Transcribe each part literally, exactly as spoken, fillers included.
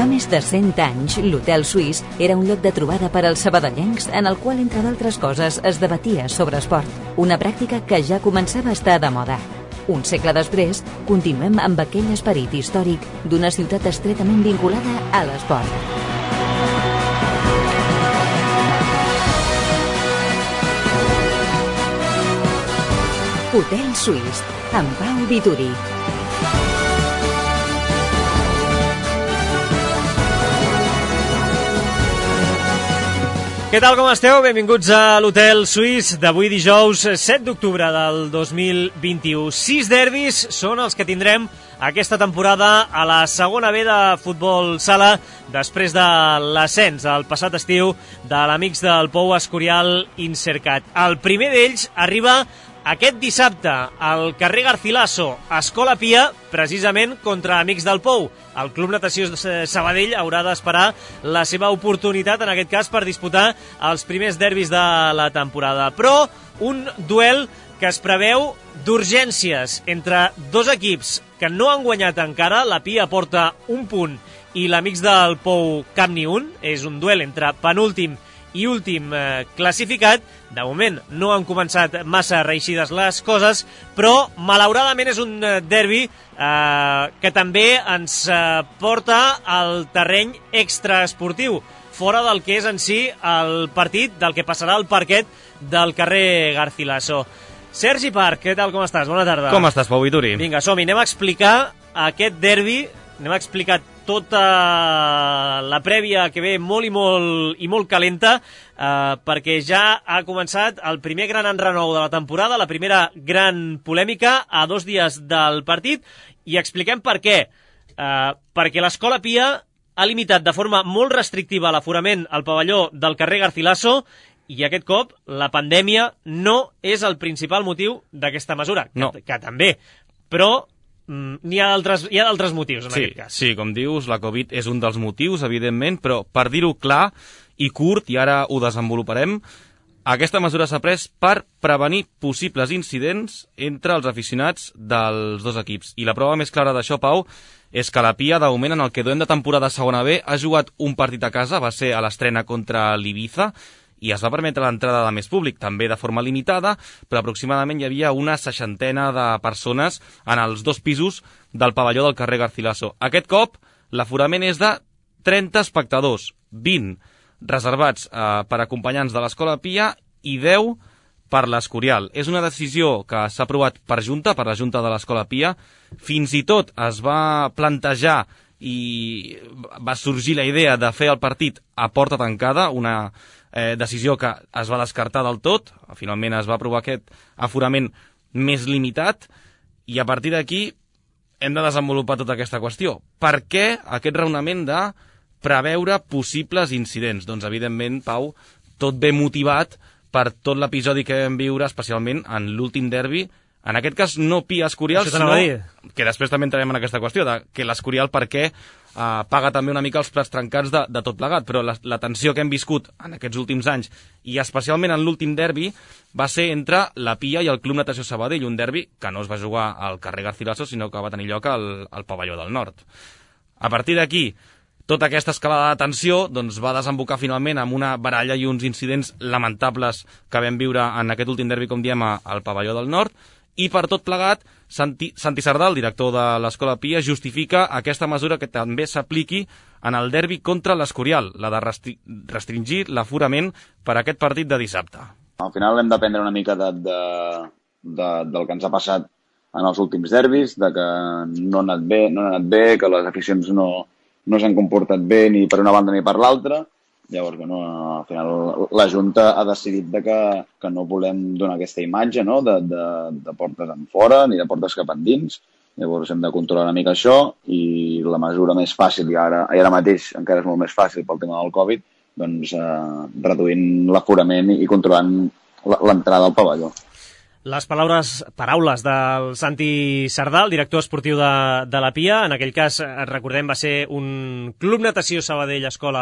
més de cent anys, l'Hotel Suís era un lloc de trobada per als sabadellencs en el qual, entre d'altres coses, es debatia sobre esport, una pràctica que ja començava a estar de moda. Un segle després, continuem amb aquell esperit històric d'una ciutat estretament vinculada a l'esport. Hotel Suís, amb Pau Vituri. Què tal, com esteu? Benvinguts a l'Hotel Suís d'avui dijous set d'octubre del dos mil vint-i-u. Sis derbis són els que tindrem aquesta temporada a la segona B de futbol sala després de l'ascens el passat estiu de l'Amics del Pou Escorial Insercat. El primer d'ells arriba aquest dissabte al carrer Garcilaso, Escola Pia, precisament contra Amics del Pou. El Club Natació Sabadell haurà d'esperar la seva oportunitat, en aquest cas, per disputar els primers derbis de la temporada. Però un duel que es preveu d'urgències entre dos equips que no han guanyat encara. La Pia porta un punt i l'Amics del Pou cap ni un. És un duel entre penúltim i últim eh, classificat. De moment no han començat massa reeixides les coses, però malauradament és un derbi eh, que també ens eh, porta al terreny extraesportiu, fora del que és en si el partit, del que passarà al parquet del carrer Garcilaso. Sergi Parc, què tal, com estàs? Bona tarda. Com estàs, Pau Vituri? Vinga, som-hi, anem a explicar aquest derbi, anem a explicar tota la prèvia que ve molt i molt, i molt calenta, eh, perquè ja ha començat el primer gran enrenou de la temporada, la primera gran polèmica a dos dies del partit, i expliquem per què. Eh, perquè l'Escola Pia ha limitat de forma molt restrictiva l'aforament al pavelló del carrer Garcilaso, i aquest cop la pandèmia no és el principal motiu d'aquesta mesura, no. que, que també, però n'hi ha d'altres hi ha d'altres motius en sí, aquest cas. Sí, com dius, la Covid és un dels motius, evidentment, però per dir-ho clar i curt, i ara ho desenvoluparem, aquesta mesura s'ha pres per prevenir possibles incidents entre els aficionats dels dos equips. I la prova més clara d'això, Pau, és que la Pia, de moment, en el que duem de temporada segona B, ha jugat un partit a casa, va ser a l'estrena contra l'Ibiza, i es va permetre l'entrada de més públic, també de forma limitada, però aproximadament hi havia una seixantena de persones en els dos pisos del pavelló del carrer Garcilaso. Aquest cop, l'aforament és de trenta espectadors, vint reservats eh, per acompanyants de l'Escola Pia i deu per l'Escorial. És una decisió que s'ha aprovat per Junta, per la Junta de l'Escola Pia. Fins i tot es va plantejar i va sorgir la idea de fer el partit a porta tancada, una eh, decisió que es va descartar del tot. Finalment es va aprovar aquest aforament més limitat, i a partir d'aquí hem de desenvolupar tota aquesta qüestió. Per què aquest raonament de preveure possibles incidents? Doncs, evidentment, Pau, tot ve motivat per tot l'episodi que vam viure, especialment en l'últim derbi. En aquest cas, no Pia Escorial, sinó que després també entrarem en aquesta qüestió, de que l'Escorial per què eh, paga també una mica els plats trencats de, de tot plegat, però la, la tensió que hem viscut en aquests últims anys, i especialment en l'últim derbi, va ser entre la Pia i el Club Natació Sabadell, un derbi que no es va jugar al carrer Garcilaso, sinó que va tenir lloc al, al pavelló del Nord. A partir d'aquí, tota aquesta escalada de tensió doncs, va desembocar finalment amb una baralla i uns incidents lamentables que vam viure en aquest últim derbi, com diem, al pavelló del Nord. I per tot plegat, Santi, Santi Sardà, el director de l'Escola Pia, justifica aquesta mesura que també s'apliqui en el derbi contra l'Escorial, la de restri restringir l'aforament per a aquest partit de dissabte. Al final hem d'aprendre una mica de, de, de, del que ens ha passat en els últims derbis, de que no ha anat bé, no ha anat bé, que les aficions no, no s'han comportat bé ni per una banda ni per l'altra. Llavors, bueno, al final la Junta ha decidit de que, que no volem donar aquesta imatge, no? de, de, de portes en fora ni de portes cap endins. Llavors hem de controlar una mica això, i la mesura més fàcil, i ara, i ara mateix encara és molt més fàcil pel tema del Covid, doncs eh, reduint l'aforament i controlant l'entrada al pavelló. Les paraules, paraules del Santi Sardà, el director esportiu de, de la Pia. En aquell cas, recordem, va ser un Club Natació Sabadell Escola,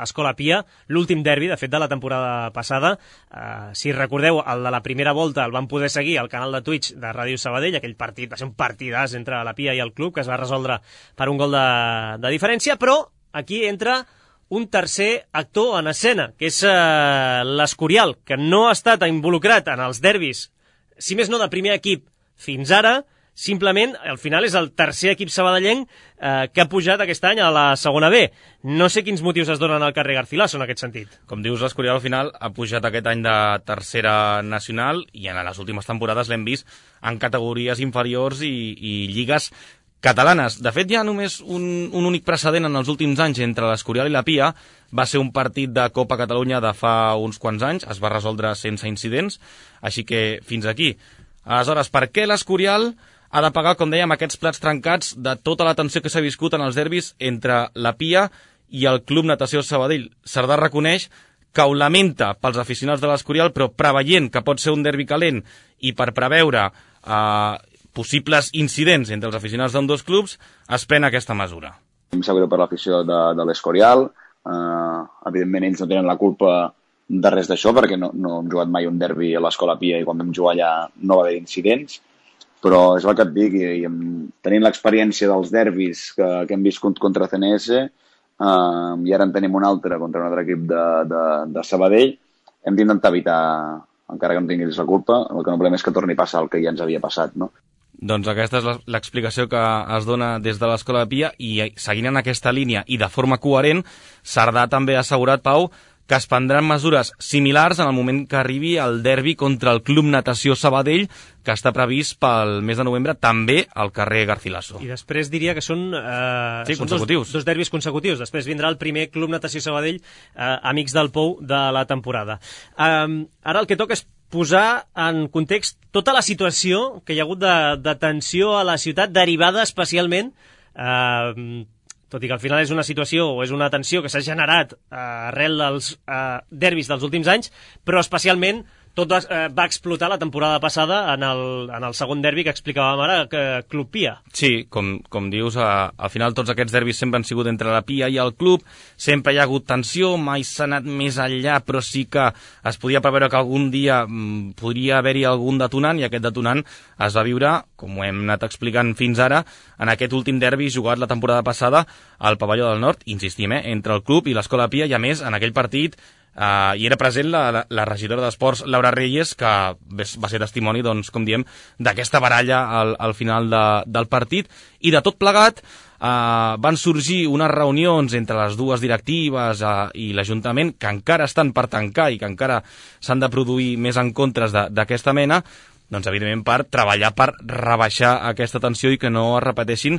Escola Pia, l'últim derbi, de fet, de la temporada passada. Uh, si recordeu, el de la primera volta el van poder seguir al canal de Twitch de Ràdio Sabadell. Aquell partit va ser un partidàs entre la Pia i el club, que es va resoldre per un gol de, de diferència, però aquí entra un tercer actor en escena, que és eh, l'Escorial, que no ha estat involucrat en els derbis, si més no de primer equip fins ara, simplement, al final és el tercer equip sabadellenc eh, que ha pujat aquest any a la segona B. No sé quins motius es donen al carrer Garcilaso en aquest sentit. Com dius, l'Escorial al final ha pujat aquest any de tercera nacional i en les últimes temporades l'hem vist en categories inferiors i, i lligues catalanes. De fet, hi ha només un, un únic precedent en els últims anys entre l'Escorial i la Pia. Va ser un partit de Copa Catalunya de fa uns quants anys, es va resoldre sense incidents, així que fins aquí. Aleshores, per què l'Escorial ha de pagar, com dèiem, aquests plats trencats de tota la tensió que s'ha viscut en els derbis entre la Pia i el Club Natació Sabadell? Cerdà reconeix que ho lamenta pels aficionats de l'Escorial, però preveient que pot ser un derbi calent i per preveure eh, possibles incidents entre els aficionats d'ambdós clubs, es pren aquesta mesura. Em sap greu per l'afició de, de l'Escorial. Uh, evidentment, ells no tenen la culpa de res d'això, perquè no, no hem jugat mai un derbi a l'Escola Pia i quan vam jugar allà no va haver incidents. Però és el que et dic, i, i tenint l'experiència dels derbis que, que hem viscut contra C N S, uh, i ara en tenim un altre contra un altre equip de, de, de Sabadell, hem d'intentar evitar, encara que no tinguis la culpa, el que no volem és que torni a passar el que ja ens havia passat, no? Doncs aquesta és l'explicació que es dona des de l'Escola de Pia i seguint en aquesta línia i de forma coherent, Cerdà també ha assegurat, Pau, que es prendran mesures similars en el moment que arribi el derbi contra el Club Natació Sabadell, que està previst pel mes de novembre també al carrer Garcilaso. I després diria que són, eh, sí, són consecutius. Dos, dos derbis consecutius. Després vindrà el primer Club Natació Sabadell, eh, Amics del Pou, de la temporada. Eh, ara el que toca és posar en context tota la situació que hi ha hagut de, de tensió a la ciutat, derivada especialment, eh, tot i que al final és una situació o és una tensió que s'ha generat eh, arrel dels eh, derbis dels últims anys, però especialment tot va, eh, va explotar la temporada passada en el, en el segon derbi que explicàvem ara, que Club Pia. Sí, com, com dius, a, al final tots aquests derbis sempre han sigut entre la Pia i el club, sempre hi ha hagut tensió, mai s'ha anat més enllà, però sí que es podia preveure que algun dia mm, podria haver-hi algun detonant, i aquest detonant es va viure, com ho hem anat explicant fins ara, en aquest últim derbi jugat la temporada passada al Pavelló del Nord, insistim, eh, entre el club i l'Escola Pia, i a més, en aquell partit Uh, i era present la, la, la regidora d'Esports, Laura Reyes, que va ser testimoni, doncs, com diem, d'aquesta baralla al, al final de, del partit. I de tot plegat uh, van sorgir unes reunions entre les dues directives uh, i l'Ajuntament, que encara estan per tancar i que encara s'han de produir més encontres d'aquesta mena, doncs, evidentment, per treballar per rebaixar aquesta tensió i que no es repeteixin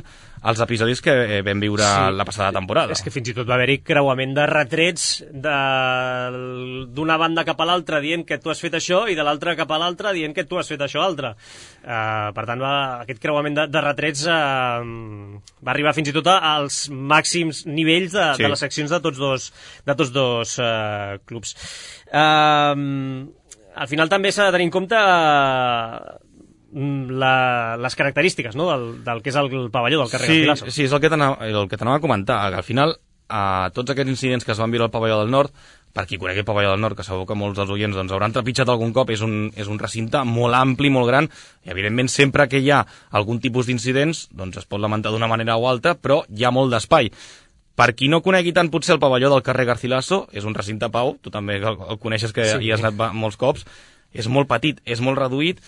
els episodis que vam viure sí, la passada temporada. És que fins i tot va haver-hi creuament de retrets d'una banda cap a l'altra dient que tu has fet això i de l'altra cap a l'altra dient que tu has fet això altre. Uh, per tant, va, aquest creuament de, de retrets uh, va arribar fins i tot als màxims nivells de, sí. de les seccions de tots dos, de tots dos uh, clubs. Uh, Al final també s'ha de tenir en compte la, les característiques, no?, del, del que és el pavelló del carrer sí, Garcilaso. Sí, és el que t'anava a comentar. Al final, a tots aquests incidents que es van viure al Pavelló del Nord, per qui conegui el Pavelló del Nord, que segur que molts dels oients doncs, hauran trepitjat algun cop, és un, és un recinte molt ampli, molt gran, i evidentment sempre que hi ha algun tipus d'incidents, doncs es pot lamentar d'una manera o altra, però hi ha molt d'espai. Per qui no conegui tant potser el pavelló del carrer Garcilaso, és un recinte, Pau, tu també el, el coneixes, que sí. hi has anat molts cops, és molt petit, és molt reduït,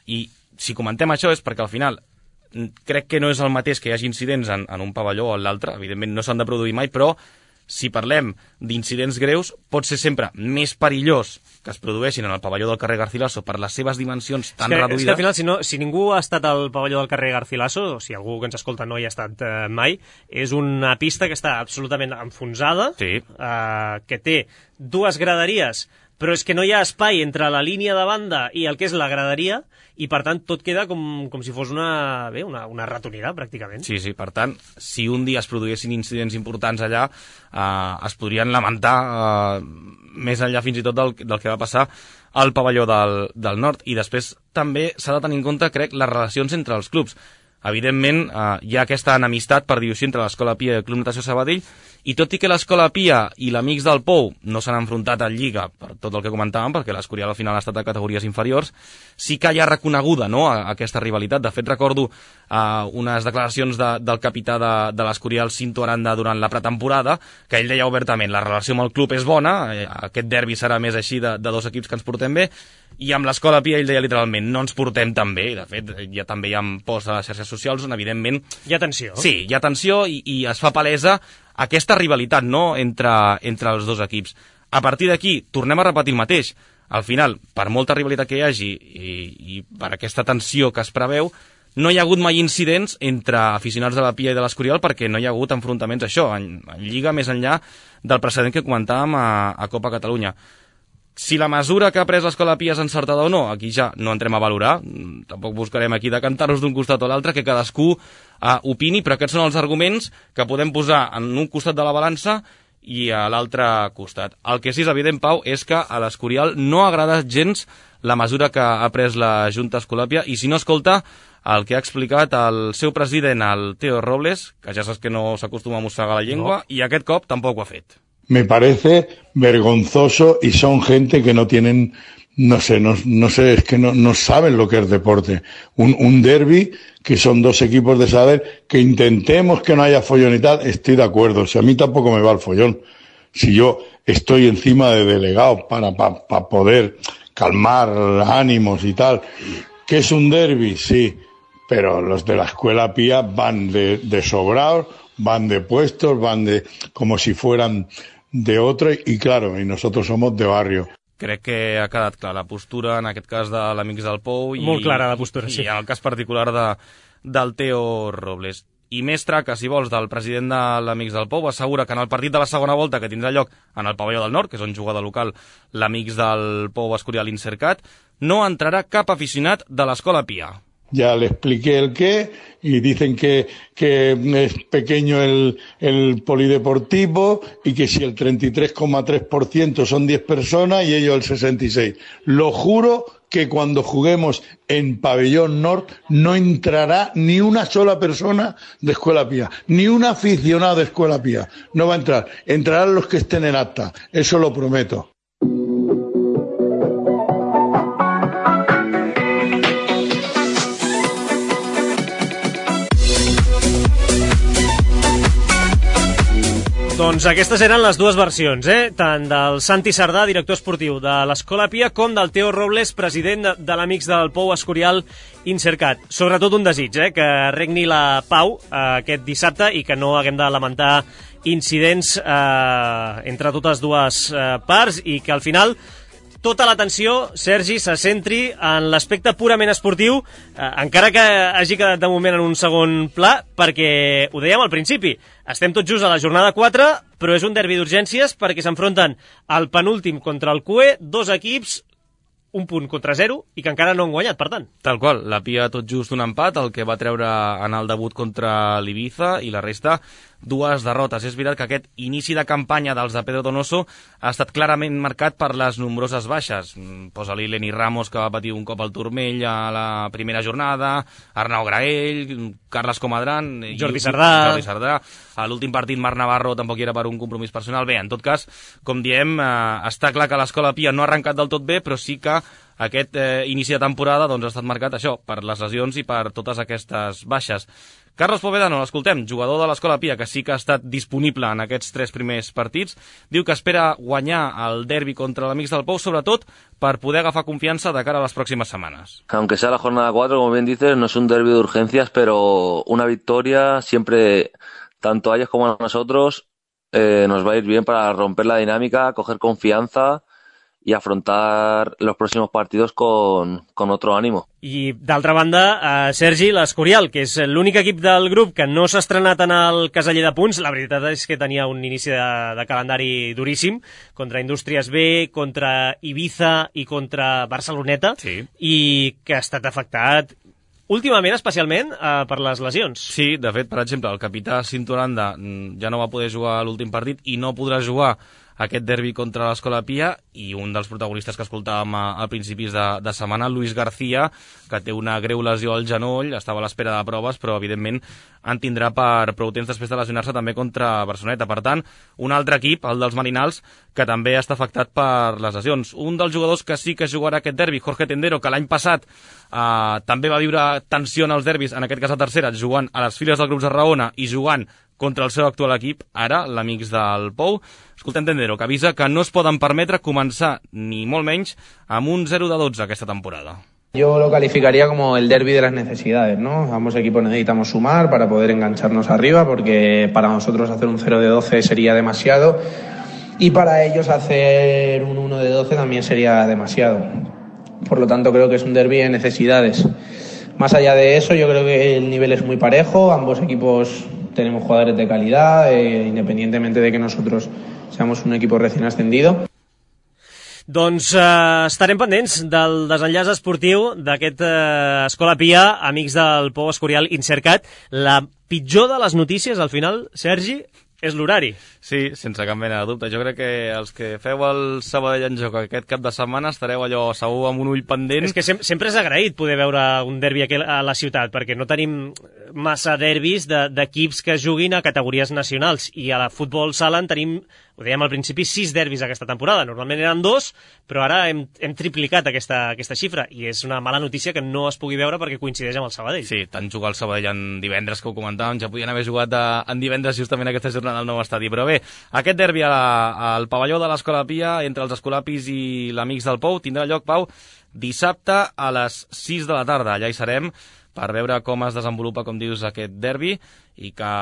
i si comentem això és perquè al final crec que no és el mateix que hi hagi incidents en, en un pavelló o en l'altre, evidentment no s'han de produir mai, però si parlem d'incidents greus, pot ser sempre més perillós que es produeixin en el pavelló del carrer Garcilaso per les seves dimensions tan és que, reduïdes. És que al final, si, no, si ningú ha estat al pavelló del carrer Garcilaso, o si algú que ens escolta no hi ha estat eh, mai, és una pista que està absolutament enfonsada, sí. eh, que té dues graderies, però és que no hi ha espai entre la línia de banda i el que és la graderia, i per tant tot queda com, com si fos una, bé, una, una ratonera, pràcticament. Sí, sí, per tant, si un dia es produïssin incidents importants allà, eh, es podrien lamentar eh, més enllà fins i tot del, del que va passar al pavelló del, del Nord. I després també s'ha de tenir en compte, crec, les relacions entre els clubs. Evidentment, eh, hi ha aquesta enemistat, per dir-ho així, entre l'Escola Pia i el Club Natació Sabadell, i tot i que l'Escola Pia i l'Amics del Pou no s'han enfrontat en Lliga per tot el que comentàvem, perquè l'Escorial al final ha estat a categories inferiors, sí que hi ha reconeguda, no?, a, a aquesta rivalitat. De fet, recordo uh, unes declaracions de, del capità de, de l'Escorial, Cinto Aranda, durant la pretemporada, que ell deia obertament, la relació amb el club és bona, eh, aquest derbi serà més així de, de dos equips que ens portem bé, i amb l'Escola Pia ell deia literalment, no ens portem tan bé, de fet, ja també hi ha posts a les xarxes socials on evidentment... Hi ha tensió. Sí, hi ha tensió i, i es fa palesa aquesta rivalitat, no?, entre, entre els dos equips. A partir d'aquí, tornem a repetir el mateix. Al final, per molta rivalitat que hi hagi i, i per aquesta tensió que es preveu, no hi ha hagut mai incidents entre aficionats de la Pia i de l'Escorial perquè no hi ha hagut enfrontaments, això, en, en lliga més enllà del precedent que comentàvem a, a Copa Catalunya. Si la mesura que ha pres l'Escola Pia és encertada o no, aquí ja no entrem a valorar, tampoc buscarem aquí decantar-nos d'un costat o l'altre, que cadascú uh, opini, però aquests són els arguments que podem posar en un costat de la balança i a l'altre costat. El que sí és evident, Pau, és que a l'Escorial no agrada gens la mesura que ha pres la Junta Escolàpia, i si no escolta el que ha explicat el seu president, el Teo Robles, que ja saps que no s'acostuma a mossegar la llengua, no. I aquest cop tampoc ho ha fet. Me parece vergonzoso y son gente que no tienen, no sé, no, no sé, es que no, no saben lo que es deporte. Un, un derbi, que son dos equipos de saber, que intentemos que no haya follón y tal, estoy de acuerdo. O sea, a mí tampoco me va el follón. Si yo estoy encima de delegado para, para, para poder calmar ánimos y tal. ¿Qué es un derbi? Sí, pero los de la Escuela Pia van de, de sobrados, van de puestos, van de como si fueran de otro, y claro, y nosotros somos de barrio. Crec que ha quedat clar la postura, en aquest cas de l'Amics del Pou, i, molt clara la postura, i, sí. I en el cas particular de, del Teo Robles. I més traca, si vols, del president de l'Amics del Pou, assegura que en el partit de la segona volta, que tindrà lloc en el pavelló del Nord, que és on juga de local l'Amics del Pou Escorial Insercat, no entrarà cap aficionat de l'Escola Pia. Ya le expliqué el qué y dicen que, que es pequeño el, el polideportivo y que si el treinta y tres coma tres por ciento son diez personas y ellos el sesenta y seis por ciento. Lo juro que cuando juguemos en Pabellón Norte no entrará ni una sola persona de Escuela Pia, ni un aficionado de Escuela Pia. No va a entrar. Entrarán los que estén en acta. Eso lo prometo. Doncs aquestes eren les dues versions, eh? Tant del Santi Sardà, director esportiu de l'Escola Pia, com del Teo Robles, president de, de l'Amics del Pou Escorial Insercat. Sobretot un desig, eh? Que regni la pau eh, aquest dissabte i que no haguem de lamentar incidents eh, entre totes dues eh, parts, i que al final tota l'atenció, Sergi, se centri en l'aspecte purament esportiu, eh, encara que hagi quedat de moment en un segon pla, perquè ho dèiem al principi, estem tots just a la jornada quatre, però és un derbi d'urgències perquè s'enfronten al penúltim contra el C U E, dos equips, un punt contra zero, i que encara no han guanyat, per tant. Tal qual, la Pia tot just un empat, el que va treure en el debut contra l'Ibiza, i la resta dues derrotes. És veritat que aquest inici de campanya dels de Pedro Donoso ha estat clarament marcat per les nombroses baixes. Posa-li Lenny Ramos, que va patir un cop al turmell a la primera jornada, Arnau Graell, Carles Comadran, Jordi Sardà. Jordi Sardà. A l'últim partit Marc Navarro tampoc hi era per un compromís personal. Bé, en tot cas, com diem, eh, està clar que l'Escola Pia no ha arrencat del tot bé, però sí que aquest eh, inici de temporada doncs, ha estat marcat això, per les lesions i per totes aquestes baixes. Carlos Povedano, l'escoltem, jugador de l'Escola Pia, que sí que ha estat disponible en aquests tres primers partits, diu que espera guanyar el derbi contra l'Amics del Pou, sobretot per poder agafar confiança de cara a les pròximes setmanes. Aunque sea la jornada cuatro, como bien dices, no es un derbi de urgencias, pero una victoria siempre, tanto a ellos como a nosotros, eh, nos va a ir bien para romper la dinámica, coger confianza y afrontar los próximos partidos con, con otro ánimo. I d'altra banda, eh, Sergi, l'Escorial, que és l'únic equip del grup que no s'ha estrenat en el caseller de punts. La veritat és que tenia un inici de, de calendari duríssim, contra Indústries B, contra Ibiza i contra Barceloneta, sí. I que ha estat afectat últimament, especialment, eh, per les lesions. Sí, de fet, per exemple, el capità Cinto Aranda ja no va poder jugar a l'últim partit i no podrà jugar aquest derbi contra l'Escola Pia, i un dels protagonistes que escoltàvem a, a principis de, de setmana, Luis García, que té una greu lesió al genoll, estava a l'espera de proves, però evidentment en tindrà per prou temps després de lesionar-se també contra Barceloneta. Per tant, un altre equip, el dels Marinals, que també està afectat per les lesions. Un dels jugadors que sí que jugarà aquest derbi, Jorge Tendero, que l'any passat eh, també va viure tensió en els derbis, en aquest cas a tercera, jugant a les files del Grup Tarragona i jugant contra el seu actual equip, ara l'Amics del Pou. Escoltem Tendero, que avisa que no es poden permetre començar, ni molt menys, amb un zero de dotze aquesta temporada. Yo lo calificaría como el derbi de las necesidades, ¿no? Ambos equipos necesitamos sumar para poder engancharnos arriba, porque para nosotros hacer un cero de doce sería demasiado y para ellos hacer un uno de doce también sería demasiado. Por lo tanto, creo que es un derbi de necesidades. Más allá de eso, yo creo que el nivel es muy parejo, ambos equipos tenemos jugadores de calidad, eh, independientemente de que nosotros seamos un equipo recién ascendido. Doncs eh, estarem pendents del desenllaç esportiu d'aquest eh, Escola Pia, Amics del Pou Escorial Insercat. La pitjor de les notícies, al final, Sergi, és l'horari. Sí, sense cap mena de dubte. Jo crec que els que feu el Sabadell en joc aquest cap de setmana estareu allò segur amb un ull pendent. És que sem sempre és agraït poder veure un derbi aquí a la ciutat, perquè no tenim massa derbis d'equips de, que juguin a categories nacionals, i a la futbol sala en tenim, ho dèiem al principi, sis derbis aquesta temporada. Normalment eren dos, però ara hem, hem triplicat aquesta, aquesta xifra, i és una mala notícia que no es pugui veure perquè coincideix amb el Sabadell. Sí, tant jugar el Sabadell en divendres, que ho comentàvem, ja podien haver jugat a, en divendres justament aquesta jornada al nou estadi. Però bé, aquest derbi a la, al pavelló de l'Escola Pia, entre els escolapis i l'Amics del Pou, tindrà lloc, Pau, dissabte a les sis de la tarda. Allà hi serem per veure com es desenvolupa, com dius, aquest derbi, i que,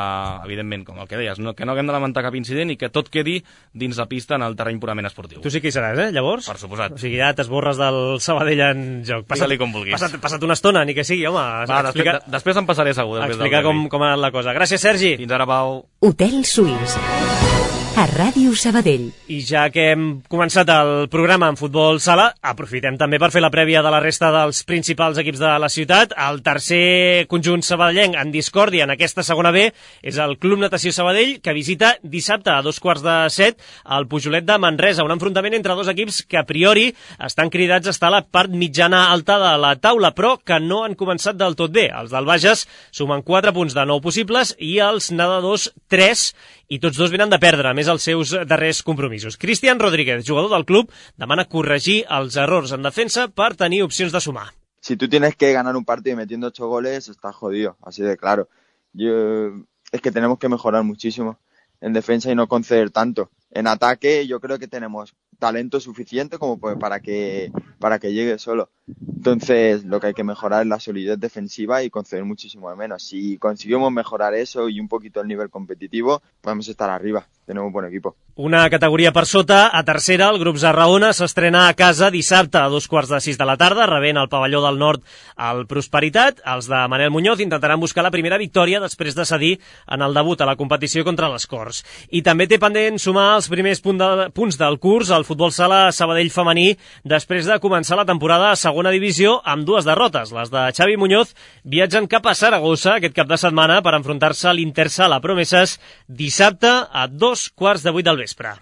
evidentment, com el que deies, no, que no haguem de lamentar cap incident i que tot quedi dins la pista en el terreny purament esportiu. Tu sí que hi seràs, eh, llavors? Per suposat. O sigui, ja t'esborres del Sabadell en joc. Digue-li com vulguis. Passat, passat una estona, ni que sigui, home. Va, explica, després, després em passaré segur. Explicar com, com ha anat la cosa. Gràcies, Sergi. Fins ara, Pau. Hotel Suís, a Ràdio Sabadell. I ja que hem començat el programa en futbol sala, aprofitem també per fer la prèvia de la resta dels principals equips de la ciutat. El tercer conjunt sabadellenc en discòrdia en aquesta segona B és el Club Natació Sabadell, que visita dissabte a dos quarts de set al Pujolet de Manresa, un enfrontament entre dos equips que a priori estan cridats a estar a la part mitjana alta de la taula, però que no han començat del tot bé. Els del Bages sumen quatre punts de nou possibles i els nedadors tres, i tots dos venen de perdre, a més els seus darrers compromisos. Cristian Rodríguez, jugador del club, demana corregir els errors en defensa per tenir opcions de sumar. Si tú tienes que ganar un partido metiendo ocho goles, estás jodido, así de claro. Yo, es que tenemos que mejorar muchísimo en defensa y no conceder tanto. En ataque yo creo que tenemos talento suficiente como para que, para que llegue solo. Entonces lo que hay que mejorar es la solidez defensiva y conceder muchísimo de menos. Si conseguimos mejorar eso y un poquito el nivel competitivo, podemos estar arriba. Tenemos un buen equipo. Una categoria per sota, a tercera, el grup Zarraona s'estrena a casa dissabte a dos quarts de sis de la tarda, rebent al pavelló del Nord al Prosperitat. Els de Manel Muñoz intentaran buscar la primera victòria després de cedir en el debut a la competició contra les Corts. I també té pendent sumar els primers punt de, punts del curs al futbol sala Sabadell femení després de començar la temporada a segona divisió amb dues derrotes. Les de Xavi Muñoz viatgen cap a Saragossa aquest cap de setmana per enfrontar-se a l'Intersala Promeses dissabte a dos quarts de vuit del vespre.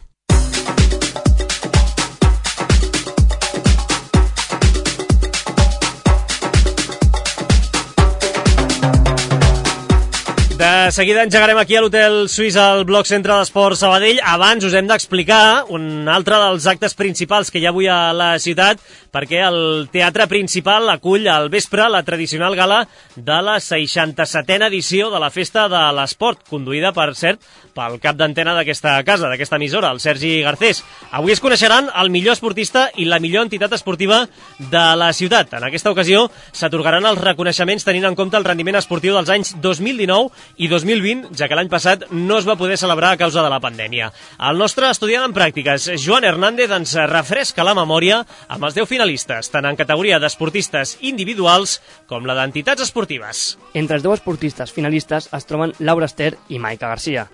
De seguida engegarem aquí a l'Hotel Suís al bloc centre d'Esport Sabadell. Abans us hem d'explicar un altre dels actes principals que hi ha avui a la ciutat, perquè el teatre principal acull al vespre la tradicional gala de la seixanta-setena edició de la Festa de l'Esport, conduïda, per cert, pel cap d'antena d'aquesta casa, d'aquesta emissora, el Sergi Garcés. Avui es coneixeran el millor esportista i la millor entitat esportiva de la ciutat. En aquesta ocasió s'atorgaran els reconeixements tenint en compte el rendiment esportiu dels anys dos mil dinou i dos mil vint, ja que l'any passat no es va poder celebrar a causa de la pandèmia. El nostre estudiant en pràctiques, Joan Hernández, ens refresca la memòria amb els deu finalistes, tant en categoria d'esportistes individuals com la d'entitats esportives. Entre els deu esportistes finalistes es troben Laura Ester i Maica Garcia.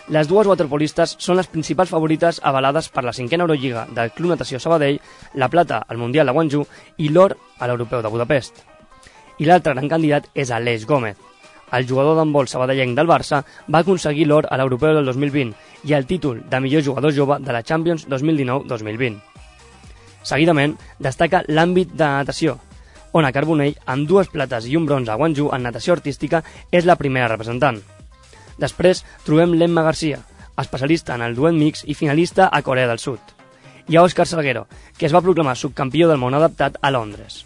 Les dues waterpolistes són les principals favorites avalades per la cinquena Eurolliga del Club Natació Sabadell, la plata al Mundial de Guangzhou i l'or a l'Europeu de Budapest. I l'altre gran candidat és Aleix Gómez. el jugador d'handbol sabadellenc del Barça va aconseguir l'or a l'Europeu del dos mil vint i el títol de millor jugador jove de la Champions dos mil dinou dos mil vint. Seguidament, destaca l'àmbit de natació, on a Carbonell, amb dues plates i un bronze a Guangzhou en natació artística, és la primera representant. Després trobem l'Emma Garcia, especialista en el duet mix i finalista a Corea del Sud. I a Òscar Salguero, que es va proclamar subcampió del món adaptat a Londres.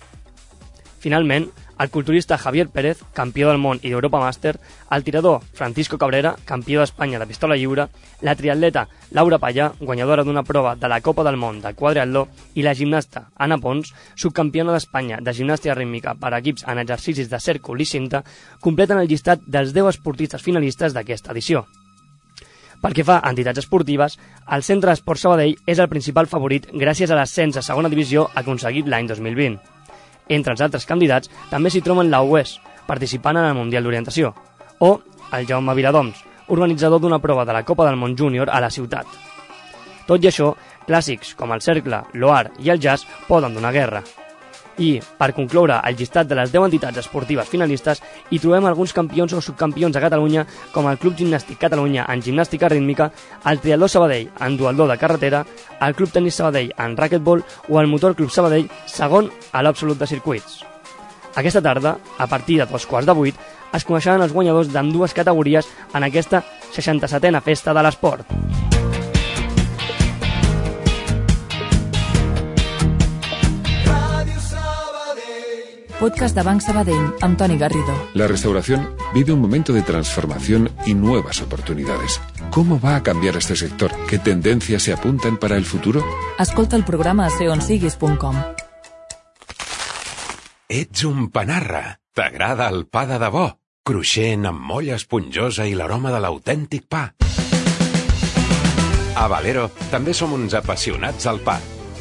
Finalment, el culturista Javier Pérez, campió del món i d'Europa Màster, el tirador Francisco Cabrera, campió d'Espanya de pistola lliure, la triatleta Laura Pallà, guanyadora d'una prova de la Copa del Món de quadriatló, i la gimnasta Anna Pons, subcampiona d'Espanya de gimnàstica rítmica per equips en exercicis de cèrcol i cinta, completen el llistat dels deu esportistes finalistes d'aquesta edició. Pel que fa a entitats esportives, el Centre d'Esport Sabadell és el principal favorit gràcies a l'ascens a segona divisió aconseguit l'any dos mil vint. Entre els altres candidats també s'hi troben la U E S, participant en el Mundial d'Orientació, o el Jaume Viladoms, organitzador d'una prova de la Copa del Món Júnior a la ciutat. Tot i això, clàssics com el cercle, l'oar i el jazz poden donar guerra. I, per concloure el llistat de les deu entitats esportives finalistes, hi trobem alguns campions o subcampions a Catalunya, com el Club Gimnàstic Catalunya en gimnàstica rítmica, el Triatló Sabadell en duatló de carretera, el Club Tenis Sabadell en racquetbol o el Motor Club Sabadell segon a l'Absolut de circuits. Aquesta tarda, a partir de dos quarts de vuit, es coneixeran els guanyadors d'ambdues categories en aquesta seixanta-setena Festa de l'Esport. Podcast de Banc Sabadell, amb Toni Garrido. La restauración vive un momento de transformación y nuevas oportunidades. ¿Cómo va a cambiar este sector? ¿Qué tendencias se apuntan para el futuro? Escolta el programa a ser on siguis punt com. Ets un panarra. T'agrada el pa de debò? Cruixent, amb molla esponjosa i l'aroma de l'autèntic pa. A Valero també som uns apassionats al pa.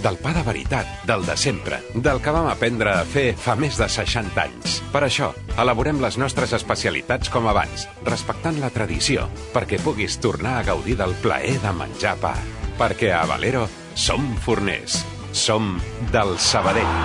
Del pa de veritat, del de sempre, del que vam aprendre a fer fa més de seixanta anys. Per això, elaborem les nostres especialitats com abans, respectant la tradició, perquè puguis tornar a gaudir del plaer de menjar pa. Perquè a Valero som forners, som del Sabadell.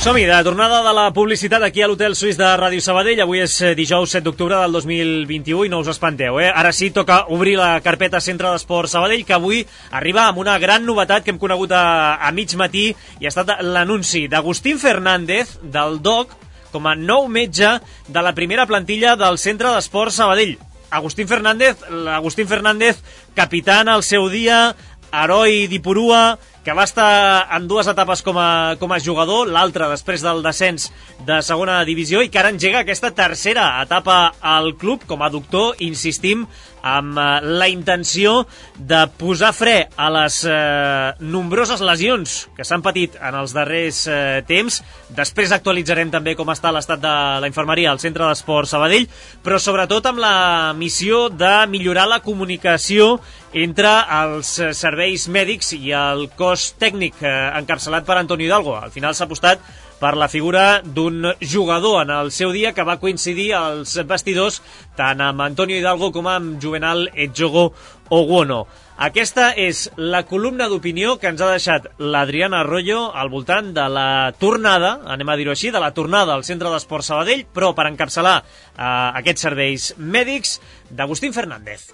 Som-hi, de tornada de la publicitat aquí a l'Hotel Suís de Ràdio Sabadell. Avui és dijous set d'octubre del dos mil vint-i-u i no us espanteu, eh? Ara sí, toca obrir la carpeta Centre d'Esport Sabadell, que avui arriba amb una gran novetat que hem conegut a, a mig matí, i ha estat l'anunci d'Agustín Fernández, del D O C, com a nou metge de la primera plantilla del Centre d'Esport Sabadell. Agustín Fernández, l'Agustín Fernández, capità en el seu dia, heroi d'Ipurua, que va estar en dues etapes com a, com a jugador, l'altra després del descens de segona divisió, i que ara engega aquesta tercera etapa al club com a doctor, insistim, amb eh, la intenció de posar fre a les eh, nombroses lesions que s'han patit en els darrers eh, temps. Després actualitzarem també com està l'estat de la infermeria al Centre d'Esport Sabadell, però sobretot amb la missió de millorar la comunicació entre els serveis mèdics i el cos tècnic eh, encapçalat per Antonio Hidalgo. Al final s'ha apostat per la figura d'un jugador en el seu dia que va coincidir als vestidors tant amb Antonio Hidalgo com amb Juvenal Edjogo Oguono. Aquesta és la columna d'opinió que ens ha deixat l'Adriana Arroyo al voltant de la tornada, anem a dir-ho així, de la tornada al Centre d'Esport Sabadell, però per encapçalar eh, aquests serveis mèdics, d'Agustín Fernández.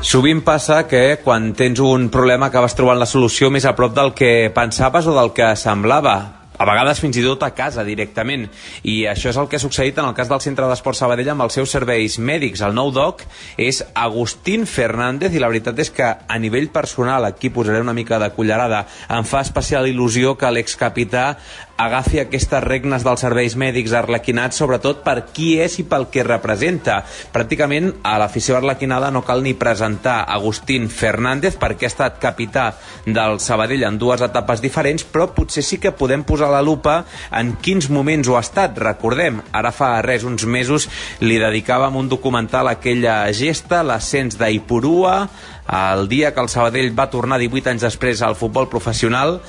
Sovint passa que quan tens un problema acabes trobant la solució més a prop del que pensaves o del que semblava. A vegades fins i tot a casa directament, i això és el que ha succeït en el cas del Centre d'Esport Sabadell amb els seus serveis mèdics. El nou doc és Agustín Fernández, i la veritat és que a nivell personal, aquí posaré una mica de cullerada, em fa especial il·lusió que l'excapità agafi aquestes regnes dels serveis mèdics arlequinats, sobretot per qui és i pel que representa. Pràcticament a l'afició arlequinada no cal ni presentar Agustín Fernández, perquè ha estat capità del Sabadell en dues etapes diferents, però potser sí que podem posar a la lupa en quins moments ho ha estat. Recordem, ara fa res, uns mesos, li dedicàvem un documental a aquella gesta, l'ascens d'Aipurua, el dia que el Sabadell va tornar divuit anys després al futbol professional.